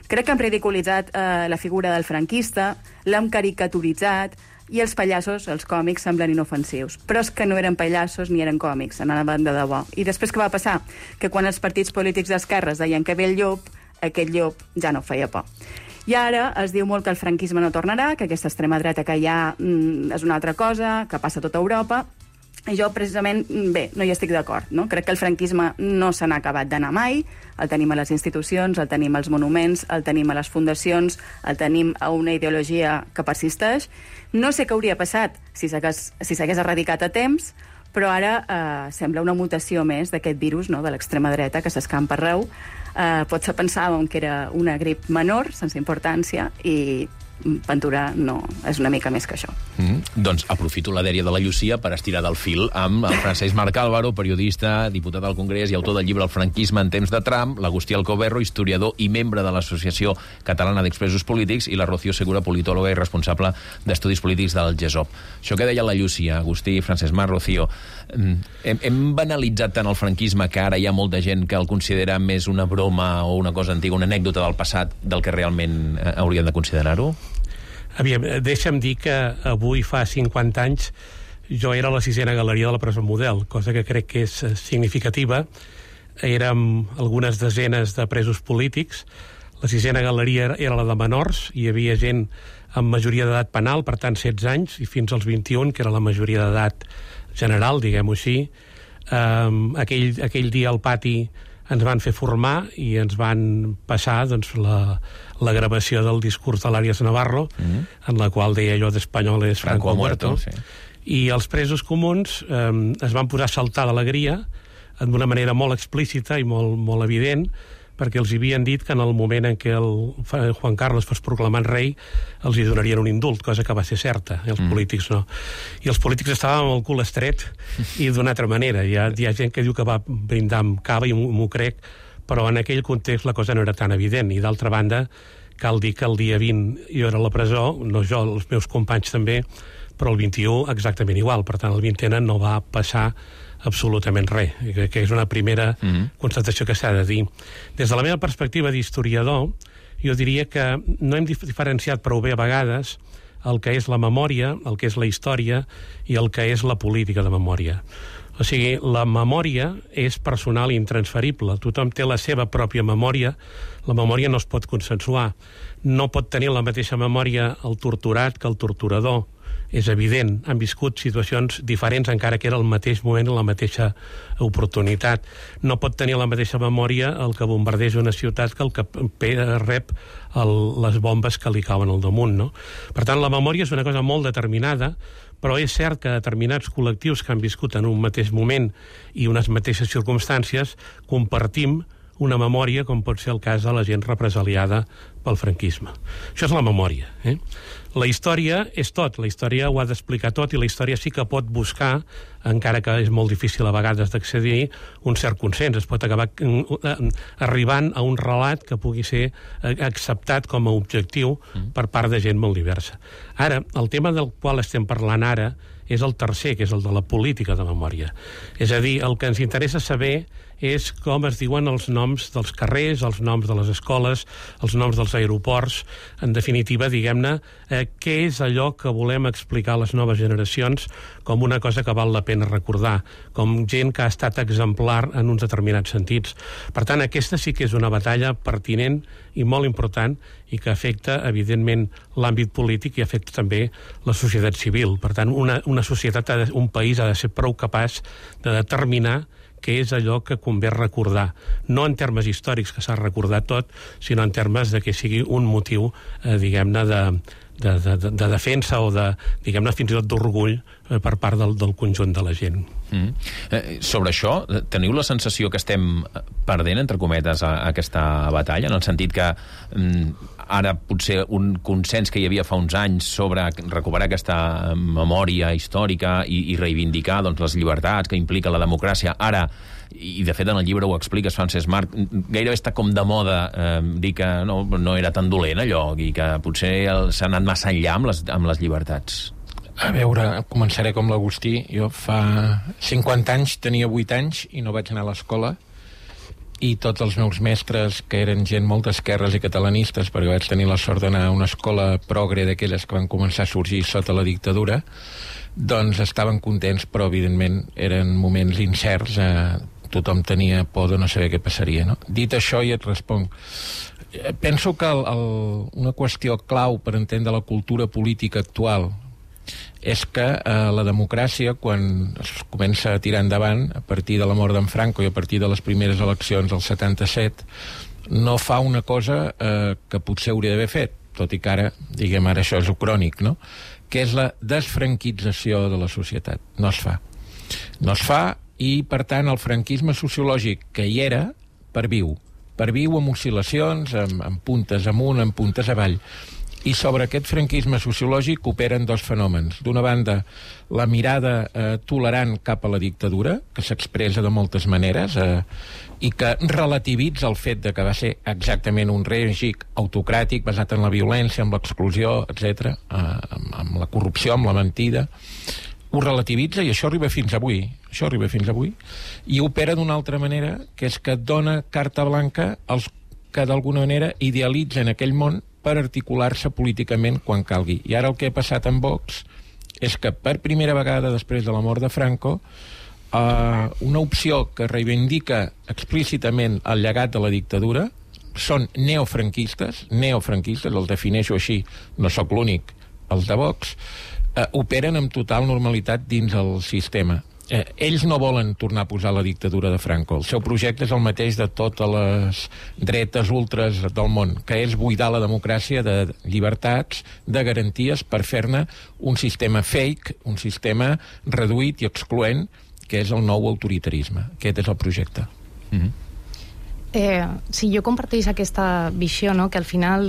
Crec que hem ridiculitzat la figura del franquista, l'hem caricaturitzat, i els pallassos, els còmics, semblen inofensius. Però és que no eren pallassos ni eren còmics, anaven de debò. I després què va passar? Que quan els partits polítics d'esquerres deien que ve el llop, aquest llop ja no feia por. I ara es diu molt que el franquisme no tornarà, que aquesta extrema dreta que hi ha és una altra cosa, que passa a tota Europa, i jo, precisament, bé, no hi estic d'acord, no? Crec que el franquisme no se n'ha acabat d'anar mai, el tenim a les institucions, el tenim als monuments, el tenim a les fundacions, el tenim a una ideologia que persisteix. No sé què hauria passat si s'hagués erradicat a temps, però ara sembla una mutació més d'aquest virus, no?, de l'extrema dreta que s'escampa arreu. Potser pensàvem que era una grip menor, sense importància, i Ventura no, és una mica més que això. Doncs aprofito la dèria de la Llucia per estirar del fil amb el Francesc Marc Álvaro, periodista, diputat al Congrés i autor del llibre El franquisme en temps de Trump, l'Agustí Alcoberro, historiador i membre de l'Associació Catalana d'Expresos Polítics, i la Rocío Segura, politòloga i responsable d'estudis polítics del GESOP. Això que deia la Llucia, Agustí, Francesc Marc, Rocío, hem banalitzat tant el franquisme que ara hi ha molta gent que el considera més una broma o una cosa antiga, una anècdota del passat del que realment hauríem de considerar-ho? Aviam, deixa'm dir que avui fa 50 anys jo era a la 6a galeria de la Presó Model, cosa que crec que és significativa. Érem algunes desenes de presos polítics. La 6a galeria era la de menors, hi havia gent amb majoria d'edat penal, per tant 16 anys, i fins als 21, que era la majoria d'edat general, diguem-ho així. Aquell dia al pati ens van fer formar i ens van passar doncs, la gravació del discurs de l'Àries Navarro, en la qual deia allò d'espanyol és Franco muerto. Sí. I els presos comuns es van posar a saltar d'alegria d'una manera molt explícita i molt evident, perquè els havien dit que en el moment en què el Juan Carlos fos proclamat rei els hi donarien un indult, cosa que va ser certa, els polítics no. I els polítics estaven amb el cul estret i d'una altra manera. Hi ha gent que diu que va brindar amb cava i m'ho crec, però en aquell context la cosa no era tan evident. I d'altra banda, cal dir que el dia 20 jo era a la presó, no jo, els meus companys també, però el 21 exactament igual. Per tant, el 20 no va passar absolutament res, que és una primera constatació que s'ha de dir. Des de la meva perspectiva d'historiador, jo diria que no hem diferenciat prou bé a vegades el que és la memòria, el que és la història i el que és la política de memòria. O sigui, la memòria és personal i intransferible. Tothom té la seva pròpia memòria. La memòria no es pot consensuar. No pot tenir la mateixa memòria el torturat que el torturador. És evident, han viscut situacions diferents encara que era el mateix moment i la mateixa oportunitat. No pot tenir la mateixa memòria el que bombardeja una ciutat que el que rep les bombes que li cauen al damunt, no? Per tant, la memòria és una cosa molt determinada, però és cert que determinats col·lectius que han viscut en un mateix moment i unes mateixes circumstàncies compartim una memòria, com pot ser el cas de la gent represaliada pel franquisme. Això és la memòria. La història és tot, la història ho ha d'explicar tot i la història sí que pot buscar, encara que és molt difícil a vegades d'accedir, un cert consens. Es pot acabar arribant a un relat que pugui ser acceptat com a objectiu per part de gent molt diversa. Ara, el tema del qual estem parlant ara és el tercer, que és el de la política de memòria. És a dir, el que ens interessa saber és com es diuen els noms dels carrers, els noms de les escoles, els noms dels aeroports, en definitiva, diguem-ne, què és allò que volem explicar a les noves generacions com una cosa que val la pena recordar, com gent que ha estat exemplar en uns determinats sentits. Per tant, aquesta sí que és una batalla pertinent i molt important i que afecta, evidentment, l'àmbit polític i afecta també la societat civil. Per tant, una societat, un país ha de ser prou capaç de determinar què és allò que convé recordar. No en termes històrics, que s'ha recordat tot, sinó en termes de que sigui un motiu, diguem-ne, de defensa o de, diguem-ne, fins i tot d'orgull per part del conjunt de la gent. Sobre això, teniu la sensació que estem perdent, entre cometes, aquesta batalla, en el sentit que ara potser un consens que hi havia fa uns anys sobre recuperar aquesta memòria històrica i reivindicar doncs, les llibertats que implica la democràcia, ara, i de fet en el llibre ho expliques, Francesc Marc, gairebé està com de moda dir que no era tan dolent allò i que potser s'ha anat massa enllà amb les llibertats. A veure, començaré com l'Agustí. Jo fa 50 anys tenia 8 anys i no vaig anar a l'escola, i tots els meus mestres, que eren gent molt d'esquerres i catalanistes, perquè vaig tenir la sort d'anar a una escola progre d'aquelles que van començar a sorgir sota la dictadura, doncs estaven contents, però evidentment eren moments incerts, tothom tenia por de no saber què passaria, no? Dit això, i et responc. Penso que una qüestió clau per entendre la cultura política actual és que la democràcia, quan es comença a tirar endavant, a partir de la mort d'en Franco i a partir de les primeres eleccions del 77, no fa una cosa que potser hauria d'haver fet, tot i que ara, diguem, ara això és crònic, no? Que és la desfranquització de la societat. No es fa. No es fa i, per tant, el franquisme sociològic que hi era, perviu amb oscil·lacions, amb puntes amunt, amb puntes avall. I sobre aquest franquisme sociològic operen dos fenòmens. D'una banda, la mirada tolerant cap a la dictadura, que s'expressa de moltes maneres i que relativitza el fet de que va ser exactament un règim autocràtic basat en la violència, en l'exclusió, etc., amb la corrupció, amb la mentida. Ho relativitza i això arriba fins avui. I opera d'una altra manera, que és que dona carta blanca als que d'alguna manera idealitzen aquell món per articular-se políticament quan calgui. I ara el que ha passat amb Vox és que per primera vegada després de la mort de Franco una opció que reivindica explícitament el llegat de la dictadura són neofranquistes, els defineixo així, no sóc l'únic, els de Vox, operen amb total normalitat dins el sistema. Ells no volen tornar a posar la dictadura de Franco. El seu projecte és el mateix de totes les dretes ultres del món, que és buidar la democràcia de llibertats, de garanties, per fer-ne un sistema fake, un sistema reduït i excloent, que és el nou autoritarisme. Aquest és el projecte. Sí, jo comparteix aquesta visió, no? Que al final,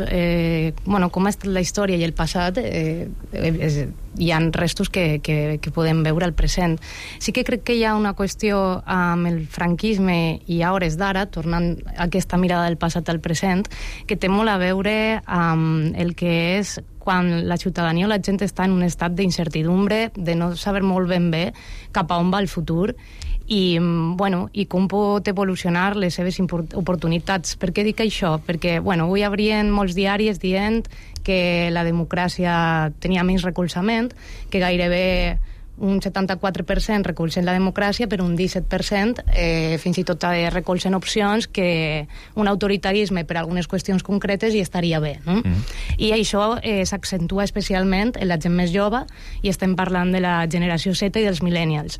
com ha estat la història i el passat, hi ha restos que podem veure al present. Sí que crec que hi ha una qüestió amb el franquisme i a hores d'ara, tornant a aquesta mirada del passat al present, que té molt a veure amb el que és quan la ciutadania o la gent està en un estat d'incertidumbre, de no saber molt ben bé cap a on va el futur, i com pot evolucionar les seves oportunitats. Per què dic això? Perquè avui hi haurien molts diaris dient que la democràcia tenia menys recolzament, que gairebé un 74% recolzen la democràcia, però un 17% fins i tot recolzen opcions que un autoritarisme per algunes qüestions concretes hi estaria bé, no? I això s'accentua especialment en la gent més jove, i estem parlant de la generació Z i dels millennials.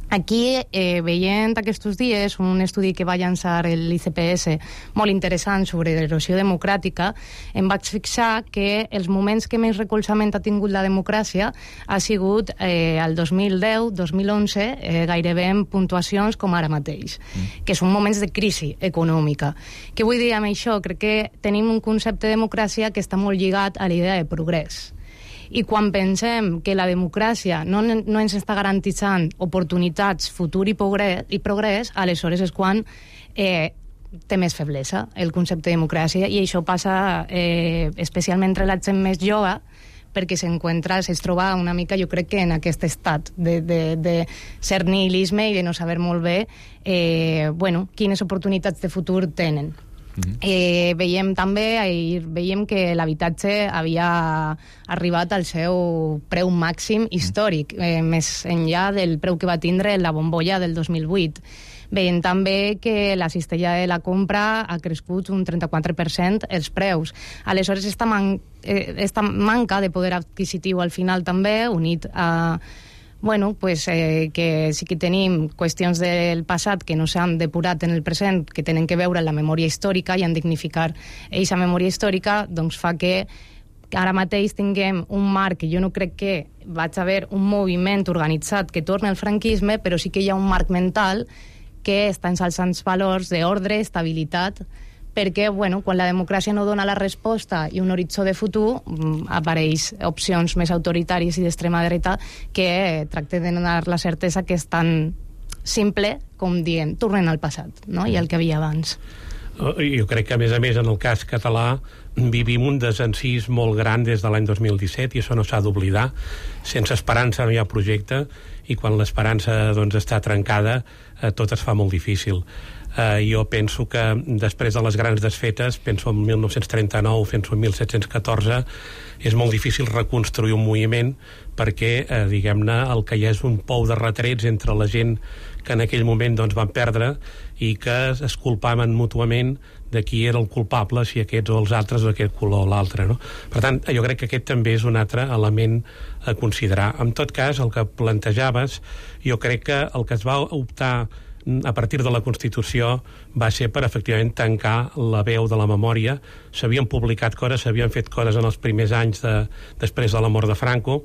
Aquí, veient aquests dies un estudi que va llançar l'ICPS molt interessant sobre l'erosió democràtica, em vaig fixar que els moments que més recolzament ha tingut la democràcia ha sigut el 2010, 2011, gairebé en puntuacions com ara mateix, que són moments de crisi econòmica. Què vull dir amb això? Crec que tenim un concepte de democràcia que està molt lligat a l'idea de progrés. I quan pensem que la democràcia no ens està garantitzant oportunitats, futur i progrés, aleshores és quan té més feblesa el concepte de democràcia, i això passa especialment entre la gent més jove, perquè es troba una mica, jo crec que en aquest estat de cert nihilisme i de no saber molt bé quines oportunitats de futur tenen. Veiem que l'habitatge havia arribat al seu preu màxim històric, més enllà del preu que va tindre la bombolla del 2008. Veiem també que la cistella de la compra ha crescut un 34% els preus. Aleshores, esta manca de poder adquisitiu al final també, unit a que sí que tenim qüestions del passat que no s'han depurat en el present, que tenen que veure amb la memòria històrica i en dignificar aquesta memòria històrica, doncs fa que ara mateix tinguem un marc que jo no crec que vaig haver un moviment organitzat que torni al franquisme, però sí que hi ha un marc mental que està ensalçant valors d'ordre, estabilitat, perquè quan la democràcia no dona la resposta i un horitzó de futur, apareix opcions més autoritàries i d'extrema dreta que tracten de donar la certesa que és tan simple com dient tornen al passat, no? I el que havia abans. Jo crec que, a més, en el cas català vivim un desencís molt gran des de l'any 2017, i això no s'ha d'oblidar. Sense esperança no hi ha projecte, i quan l'esperança està trencada tot es fa molt difícil. Jo penso que després de les grans desfetes, penso en 1939, penso en 1714, és molt difícil reconstruir un moviment perquè, diguem-ne, el que hi ha és un pou de retrets entre la gent que en aquell moment van perdre i que es culpaven mútuament de qui era el culpable, si aquests o els altres o aquest color o l'altre, no? Per tant, jo crec que aquest també és un altre element a considerar. En tot cas, el que plantejaves, jo crec que el que es va optar a partir de la Constitució va ser per efectivament tancar la veu de la memòria. S'havien publicat coses, s'havien fet coses en els primers anys després de la mort de Franco,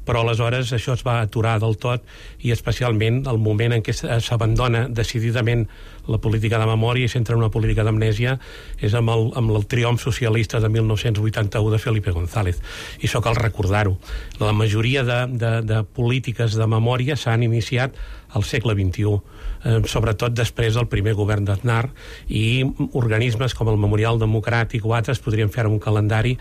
però aleshores això es va aturar del tot, i especialment el moment en què s'abandona decididament la política de memòria i s'entra en una política d'amnèsia és amb el triomf socialista de 1981 de Felipe González, i això cal recordar-ho. La majoria de polítiques de memòria s'han iniciat al segle XXI, sobretot després del primer govern d'Aznar, i organismes com el Memorial Democràtic o altres podrien fer un calendari,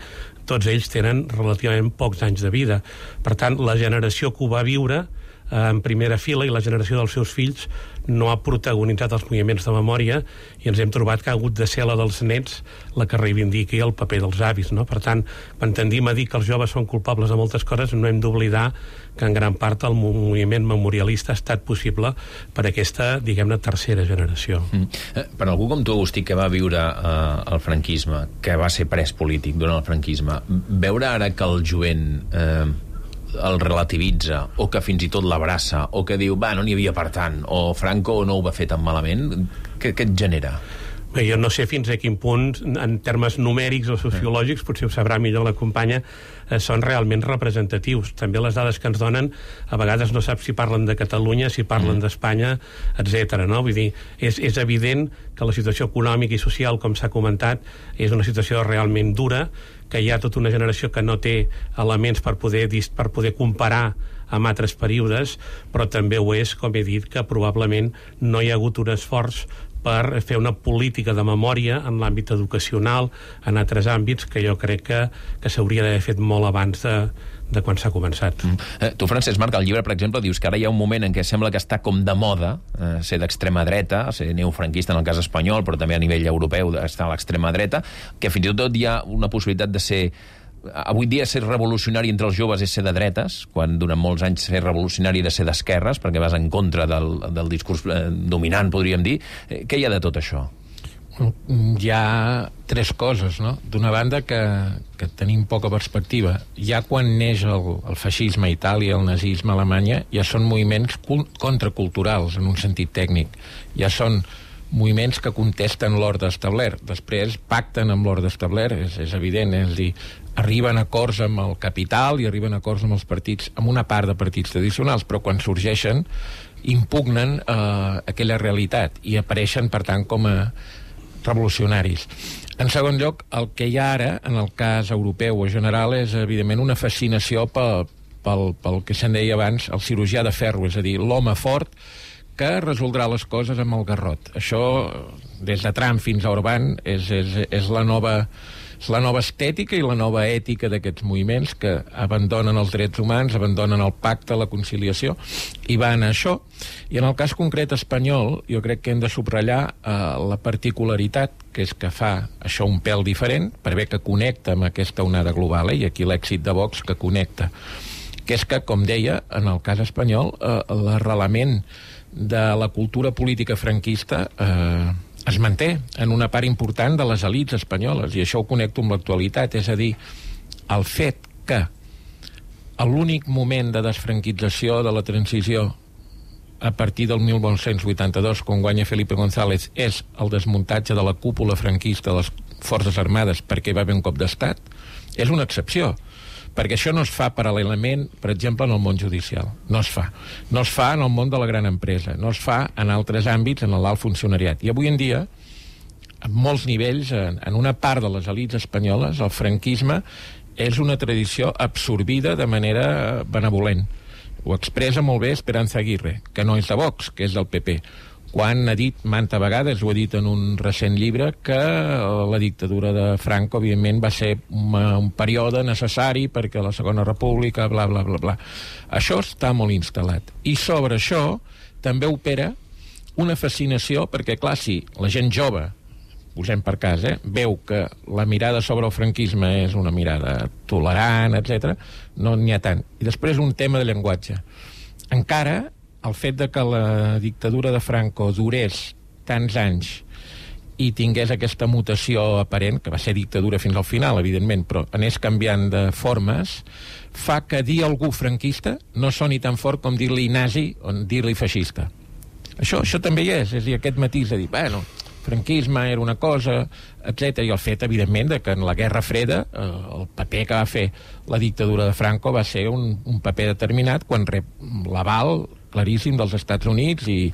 tots ells tenen relativament pocs anys de vida. Per tant, la generació que ho va viure en primera fila i la generació dels seus fills no ha protagonitzat els moviments de memòria, i ens hem trobat que ha hagut de ser la dels nets la que reivindiqui el paper dels avis, no? Per tant, quan tendim a dir que els joves són culpables de moltes coses, no hem d'oblidar que en gran part el moviment memorialista ha estat possible per aquesta, diguem-ne, tercera generació. Per algú com tu, Agustí, que va viure el franquisme, que va ser pres polític durant el franquisme, veure ara que el jovent el relativitza, o que fins i tot l'abraça, o que diu, no n'hi havia per tant, o Franco no ho va fer tan malament, què et genera? Bé, jo no sé fins a quin punt, en termes numèrics o sociològics, potser ho sabrà millor la companya, són realment representatius. També les dades que ens donen, a vegades no saps si parlen de Catalunya, si parlen d'Espanya, etc. No? Vull dir, és evident que la situació econòmica i social, com s'ha comentat, és una situació realment dura, que hi ha tota una generació que no té elements per poder comparar amb altres períodes, però també ho és, com he dit, que probablement no hi ha hagut un esforç per fer una política de memòria en l'àmbit educacional, en altres àmbits, que jo crec que s'hauria d'haver fet molt abans de quan s'ha començat. Tu, Francesc Marc, al llibre, per exemple, dius que ara hi ha un moment en què sembla que està com de moda ser d'extrema dreta, ser neofranquista en el cas espanyol, però també a nivell europeu està a l'extrema dreta, que fins i tot hi ha una possibilitat de ser... Avui dia ser revolucionari entre els joves és ser de dretes, quan durant molts anys ser revolucionari de ser d'esquerres, perquè vas en contra del discurs dominant, podríem dir. Què hi ha de tot això? Hi ha tres coses, no? D'una banda, que tenim poca perspectiva. Ja quan neix el feixisme a Itàlia, el nazisme a Alemanya, ja són moviments contraculturals, en un sentit tècnic. Ja són moviments que contesten l'ordre establert. Després pacten amb l'ordre establert, és evident, és a dir, arriben a acords amb el capital i arriben a acords amb els partits, amb una part de partits tradicionals, però quan sorgeixen impugnen aquella realitat i apareixen, per tant, com a revolucionaris. En segon lloc, el que hi ha ara, en el cas europeu o general, és evidentment una fascinació pel que se'n deia abans, el cirurgià de ferro, és a dir, l'home fort que resoldrà les coses amb el garrot. Això, des de Trump fins a Orbán, és la nova estètica i la nova ètica d'aquests moviments que abandonen els drets humans, abandonen el pacte, la conciliació, i van a això. I en el cas concret espanyol, jo crec que hem de subratllar la particularitat, que és que fa això un pèl diferent, per bé que connecta amb aquesta onada global, i aquí l'èxit de Vox que connecta, que és que, com deia, en el cas espanyol, l'arrelament de la cultura política franquista es manté en una part important de les elits espanyoles, i això ho connecto amb l'actualitat, és a dir, el fet que l'únic moment de desfranquització de la transició a partir del 1982, quan guanya Felipe González, és el desmuntatge de la cúpula franquista de les Forces Armades perquè va haver un cop d'estat, és una excepció, perquè això no es fa paral·lelament, per exemple, en el món judicial. No es fa. No es fa en el món de la gran empresa. No es fa en altres àmbits, en l'alt funcionariat. I avui en dia, en molts nivells, en una part de les elits espanyoles, el franquisme és una tradició absorbida de manera benevolent. Ho expressa molt bé Esperanza Aguirre, que no és de Vox, que és del PP, quan ha dit manta vegades, ho ha dit en un recent llibre, que la dictadura de Franco, evidentment, va ser un període necessari perquè la Segona República, bla, bla, bla, bla. Això està molt instal·lat. I sobre això també opera una fascinació, perquè, clar, si la gent jove, posem per cas, veu que la mirada sobre el franquisme és una mirada tolerant, etc., no n'hi ha tant. I després un tema de llenguatge. Encara el fet de que la dictadura de Franco durés tants anys i tingués aquesta mutació aparent, que va ser dictadura fins al final, evidentment, però anés canviant de formes, fa que dir algú franquista no soni tan fort com dir-li nazi o dir-li feixista. Això també hi és a dir, aquest matís de dir, bueno, franquisme era una cosa, etc. I el fet, evidentment, de que en la Guerra Freda el paper que va fer la dictadura de Franco va ser un paper determinat quan rep l'aval claríssim dels Estats Units i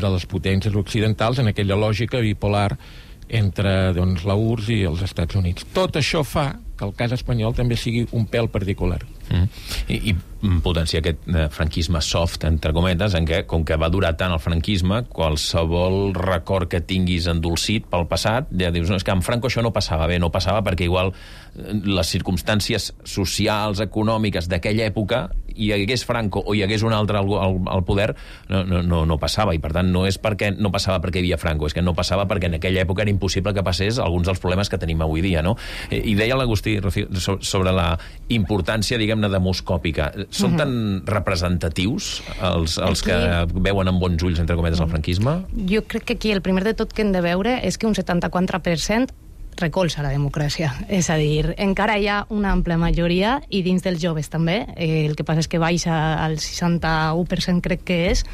de les potències occidentals en aquella lògica bipolar entre la URSS i els Estats Units. Tot això fa que el cas espanyol també sigui un pèl particular. I potenciar aquest franquisme soft, entre cometes, en què, com que va durar tant el franquisme, qualsevol record que tinguis endolcit pel passat, ja dius, no, és que amb Franco això no passava bé, no passava perquè igual les circumstàncies socials, econòmiques d'aquella època, hi hagués Franco o hi hagués un altre al poder, no passava, i per tant no és perquè no passava perquè hi havia Franco, és que no passava perquè en aquella època era impossible que passés alguns dels problemes que tenim avui dia, no? I deia l'Agustí sobre la importància, diguem-ne, demoscòpica. Són tan representatius els que veuen amb bons ulls, entre cometes, el franquisme? Jo crec que aquí el primer de tot que hem de veure és que un 74% recolza la democràcia. És a dir, encara hi ha una àmplia majoria, i dins dels joves també, el que passa és que baixa al 61%, crec que és,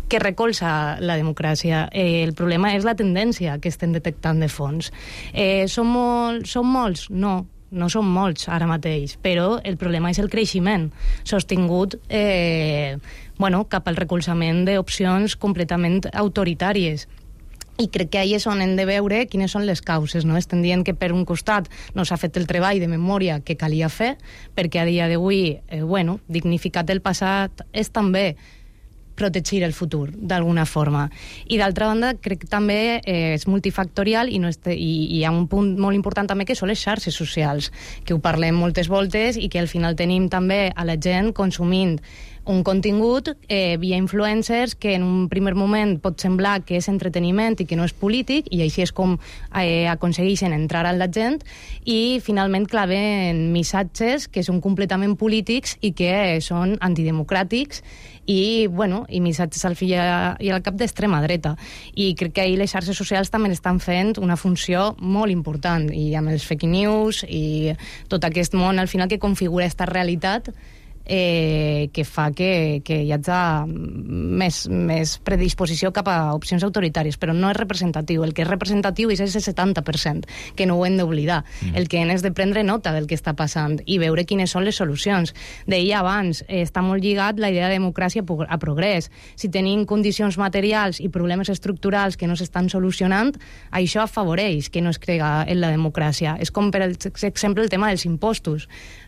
que recolza la democràcia. El problema és la tendència que estem detectant de fons. Són molts? No són molts ara mateix, però el problema és el creixement sostingut cap al recolzament d'opcions completament autoritàries. I crec que ahí és on hem de veure quines són les causes, no? Estem dient que per un costat no s'ha fet el treball de memòria que calia fer, perquè a dia d'avui, dignificat el passat és també protegir el futur, d'alguna forma. I d'altra banda, crec que també és multifactorial i hi ha un punt molt important també que són les xarxes socials, que ho parlem moltes voltes i que al final tenim també a la gent consumint un contingut via influencers que en un primer moment pot semblar que és entreteniment i que no és polític, i així és com aconsegueixen entrar a la gent i finalment claven missatges que són completament polítics i que són antidemocràtics i missatges al fil i al cap d'extrema dreta. I crec que ahir les xarxes socials també estan fent una funció molt important, i amb els fake news i tot aquest món al final que configura aquesta realitat que fa que hi hagi més predisposició cap a opcions autoritàries, però no és representatiu. El que és representatiu és el 70%, que no ho hem d'oblidar. El que és de prendre nota del que està passant i veure quines són les solucions. Deia abans, està molt lligat la idea de democràcia a progrés. Si tenim condicions materials i problemes estructurals que no s'estan solucionant, això afavoreix que no es crega en la democràcia. És com, per exemple, el tema dels impostos.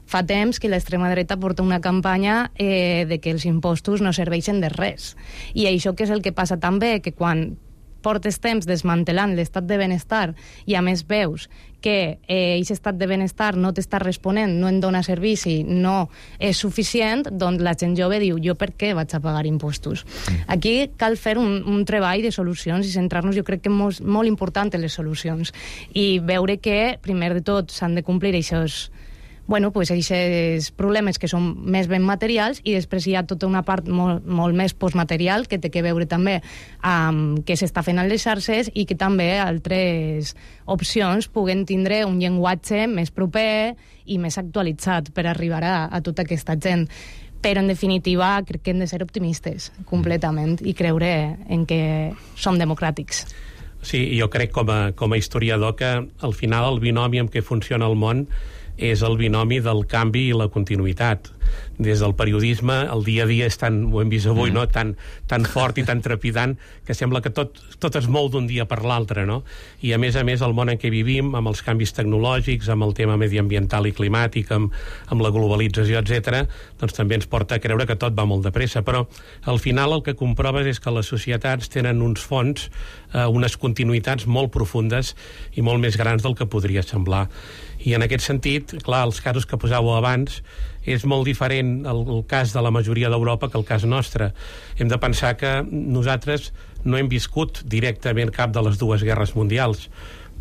Fa temps que l'extrema dreta porta una campanya de que els impostos no serveixen de res. I això que és el que passa també, que quan portes temps desmantelant l'estat de benestar i a més veus que aquest estat de benestar no t'està responent, no en dona servici, no és suficient, doncs la gent jove diu, jo per què vaig a pagar impostos? Aquí cal fer un treball de solucions i centrar-nos, jo crec que és molt important en les solucions, i veure que, primer de tot, s'han de complir aquests problemes que són més ben materials, i després hi ha tota una part molt més postmaterial que té que veure també amb què s'està fent a les xarxes i que també altres opcions puguen tindre un llenguatge més proper i més actualitzat per arribar a tota aquesta gent. Però, en definitiva, crec que hem de ser optimistes completament i creure en que som democràtics. Sí, jo crec com a historiador que al final el binomi amb què funciona el món és el binomi del canvi i la continuïtat. Des del periodisme, el dia a dia és tan, ho hem vist avui, no? tan fort i tan trepidant que sembla que tot es mou d'un dia per l'altre, no? I a més, el món en què vivim, amb els canvis tecnològics, amb el tema mediambiental i climàtic, amb la globalització, etc., doncs també ens porta a creure que tot va molt de pressa. Però al final el que comproves és que les societats tenen uns fons, unes continuïtats molt profundes i molt més grans del que podria semblar. I en aquest sentit, clar, els casos que posàveu abans, és molt diferent el cas de la majoria d'Europa que el cas nostre. Hem de pensar que nosaltres no hem viscut directament cap de les dues guerres mundials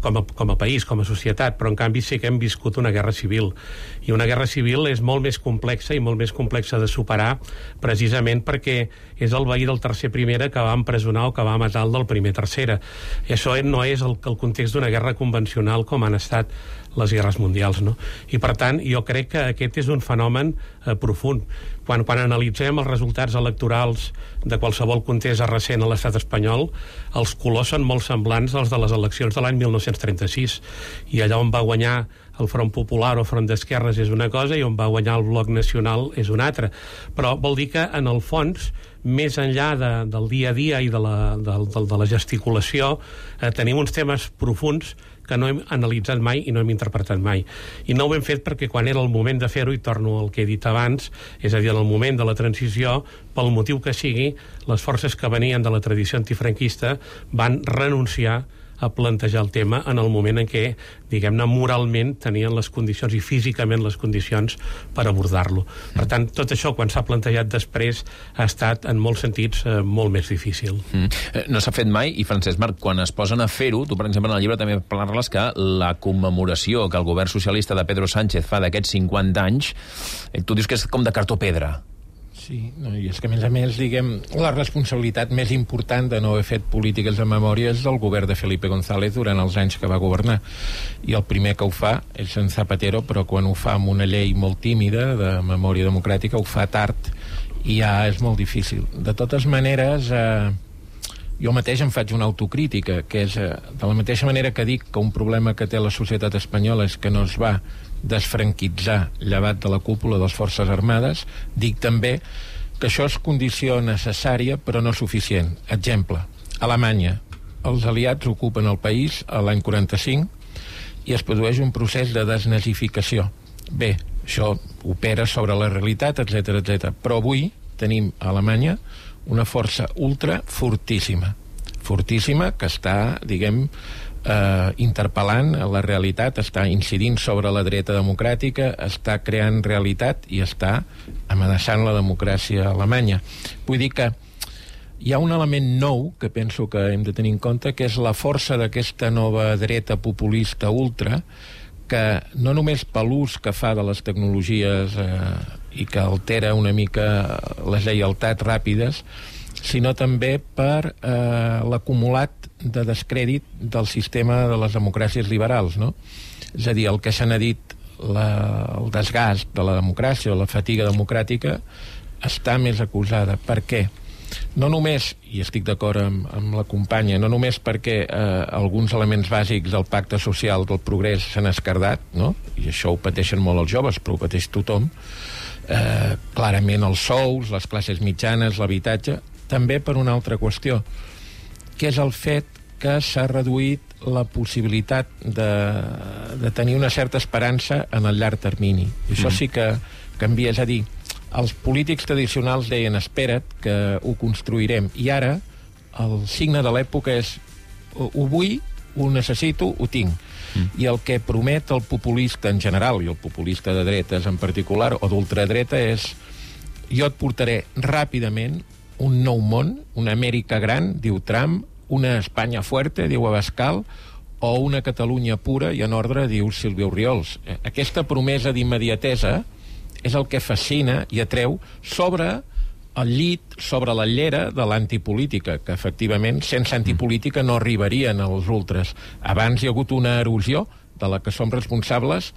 com a país, com a societat, però en canvi sí que hem viscut una guerra civil. I una guerra civil és molt més complexa i molt més complexa de superar, precisament perquè és el veí del tercer primera que va empresonar o que va matar el del primer tercera. I això no és el context d'una guerra convencional com han estat les guerres mundials, no? I per tant, jo crec que aquest és un fenomen profund. Quan analitzem els resultats electorals de qualsevol contesa recent a l'estat espanyol, els colors són molt semblants als de les eleccions de l'any 1936, i allà on va guanyar el Front Popular o Front d'Esquerres és una cosa i on va guanyar el Bloc Nacional és una altra. Però vol dir que, en el fons, més enllà del dia a dia i de la gesticulació, tenim uns temes profuns que no hem analitzat mai i no hem interpretat mai. I no ho hem fet perquè quan era el moment de fer-ho, i torno al que he dit abans, és a dir, en el moment de la transició, pel motiu que sigui, les forces que venien de la tradició antifranquista van renunciar a plantejar el tema en el moment en què, diguem-ne, moralment tenien les condicions i físicament les condicions per abordar-lo. Per tant, tot això, quan s'ha plantejat després, ha estat, en molts sentits, molt més difícil. No s'ha fet mai, i Francesc Marc, quan es posen a fer-ho, tu, per exemple, en el llibre també parles que la commemoració que el govern socialista de Pedro Sánchez fa d'aquests 50 anys, tu dius que és com de cartó pedra. Sí, no, i és que, a més, diguem, la responsabilitat més important de no haver fet polítiques de memòria és del govern de Felipe González durant els anys que va governar. I el primer que ho fa és en Zapatero, però quan ho fa amb una llei molt tímida de memòria democràtica, ho fa tard i ja és molt difícil. De totes maneres, jo mateix em faig una autocrítica, que és, de la mateixa manera que dic que un problema que té la societat espanyola és que no es va desfranquitzar llevat de la cúpula de les Forces Armades, dic també que això és condició necessària però no suficient. Exemple, Alemanya. Els aliats ocupen el país a l'any 45 i es produeix un procés de desnazificació. Bé, això opera sobre la realitat, etc etc. Però avui tenim a Alemanya una força ultra fortíssima que està, diguem, interpel·lant la realitat, està incidint sobre la dreta democràtica, està creant realitat i està amenaçant la democràcia alemanya. Vull dir que hi ha un element nou que penso que hem de tenir en compte, que és la força d'aquesta nova dreta populista ultra, que no només per l'ús que fa de les tecnologies i que altera una mica les lleialtats ràpides, sinó també per l'acumulat de descrèdit del sistema de les democràcies liberals, no? És a dir, el que se n'ha dit el desgast de la democràcia o la fatiga democràtica està més acusada. Per què? No només, i estic d'acord amb la companya, no només perquè alguns elements bàsics del pacte social del progrés s'han escardat, no? I això ho pateixen molt els joves, però ho pateix tothom, clarament els sous, les classes mitjanes, l'habitatge, també per una altra qüestió, que és el fet que s'ha reduït la possibilitat de tenir una certa esperança en el llarg termini. I això sí que canvia, és a dir, els polítics tradicionals deien espera't que ho construirem, i ara el signe de l'època és ho vull, ho necessito, ho tinc. I el que promet el populista en general, i el populista de dretes en particular, o d'ultradreta, és jo et portaré ràpidament un nou món, una Amèrica gran, diu Trump, una Espanya fuerte, diu Abascal, o una Catalunya pura i en ordre, diu Sílvia Orriols. Aquesta promesa d'immediatesa és el que fascina i atreu sobre el llit, sobre la llera de l'antipolítica, que efectivament sense antipolítica no arribarien als ultres. Abans hi ha hagut una erosió de la que som responsables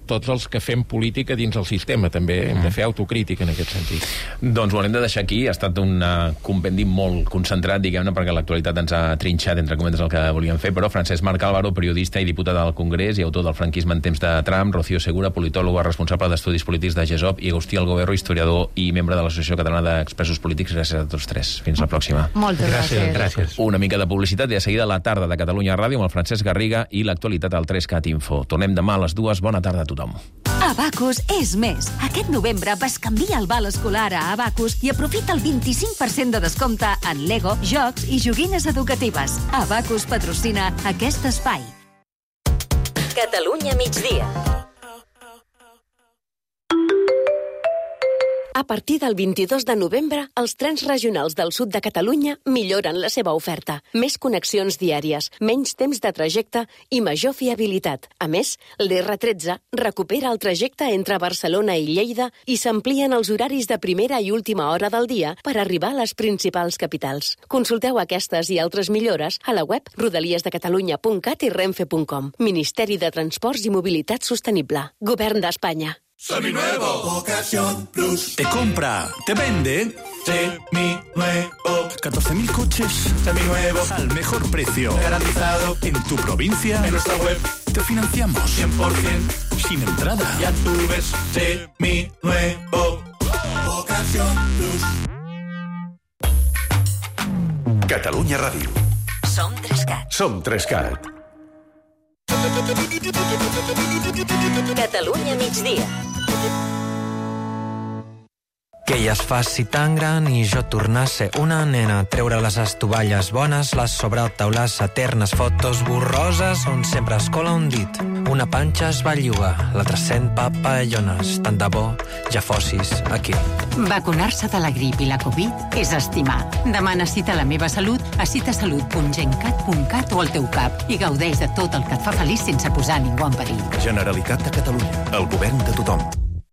tots els que fem política dins el sistema. També hem de fer autocrítica en aquest sentit. Doncs ho hem de deixar aquí. Ha estat un compendi molt concentrat, diguem-ne, perquè l'actualitat ens ha trinxat, entre cometes, el que volíem fer, però Francesc Marc Álvaro, periodista i diputat al Congrés i autor del franquisme en temps de Trump, Rocío Segura, politòloga responsable d'estudis polítics de GESOP, i Agustí Algoberro, historiador i membre de l'Associació Catalana d'Expressos Polítics. Gràcies a tots tres. Fins la pròxima. Moltes gràcies. Una mica de publicitat i de seguida la tarda de Catalunya Ràdio amb el Francesc Garriga i l'actualitat al 3CAT Info. Tornem demà a les 2. Bona tarda a tothom. Abacus és més. Aquest novembre bescanvia el val escolar a Abacus i aprofita el 25% de descompte en Lego, jocs i joguines educatives. Abacus patrocina aquest espai. Catalunya migdia. A partir del 22 de novembre, els trens regionals del sud de Catalunya milloren la seva oferta. Més connexions diàries, menys temps de trajecte i major fiabilitat. A més, l'R13 recupera el trajecte entre Barcelona i Lleida i s'amplien els horaris de primera i última hora del dia per arribar a les principals capitals. Consulteu aquestes i altres millores a la web rodaliesdecatalunya.cat i renfe.com. Ministeri de Transports i Mobilitat Sostenible. Govern d'Espanya. Seminuevo, Ocasión Plus. Te compra, te vende. Seminuevo. 14.000 coches. Seminuevos. Al mejor precio. Garantizado. En tu provincia. En nuestra web. Te financiamos. 100%. Sin entrada. Ya tú ves. Seminuevo. Ocasión Plus. Catalunya Ràdio. Som 3CAT. Som 3CAT. Catalunya migdia. Que ella es faci tan gran i jo tornar a ser una nena, treure les estovalles bones, les sobretaules eternes, fotos borroses on sempre es cola un dit. Una panxa es belluga, l'altra sent papallones, tant de bo ja fossis aquí. Vacunar-se de la grip i la Covid és estimar. Demana cita a la meva salut a citasalut.gencat.cat o al teu CAP i gaudeix de tot el que et fa feliç sense posar ningú en perill. Generalitat de Catalunya. El govern de tothom.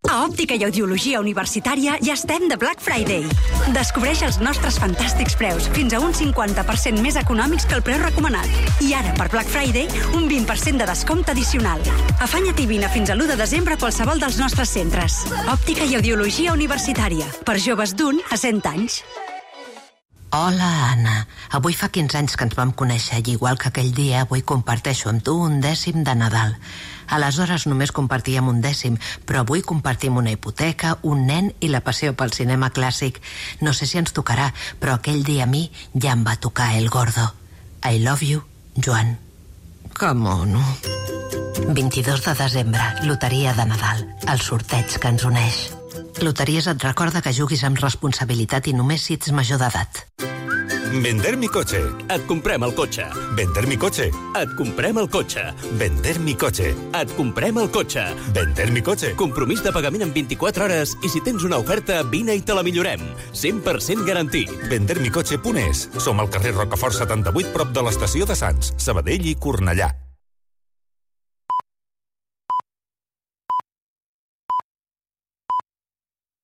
A Òptica i Audiologia Universitària ja estem de Black Friday. Descobreix els nostres fantàstics preus, fins a un 50% més econòmics que el preu recomanat. I ara, per Black Friday, un 20% de descompte addicional. Afanya't i vine fins a l'1 de desembre a qualsevol dels nostres centres. Òptica i Audiologia Universitària. Per joves d'1 a 100 anys. Hola, Anna. Avui fa 15 anys que ens vam conèixer i igual que aquell dia, avui comparteixo amb tu un 10 de Nadal. Aleshores només compartíem un 10, però avui compartim una hipoteca, un nen i la passió pel cinema clàssic. No sé si ens tocarà, però aquell dia a mi ja em va tocar el gordo. I love you, Joan. Que mono. 22 de desembre, loteria de Nadal, el sorteig que ens uneix. Loteries et recorda que juguis amb responsabilitat i només si ets major d'edat. Vender mi coche. Et comprem el cotxe. Vender mi coche. Et comprem el cotxe. Vender mi coche. Et comprem el cotxe. Vender mi coche. Compromís de pagament en 24 hores i si tens una oferta, vine i te la millorem. 100% garantit. Vendermicoche.es. Som al carrer Rocafort 78, prop de l'estació de Sants, Sabadell i Cornellà.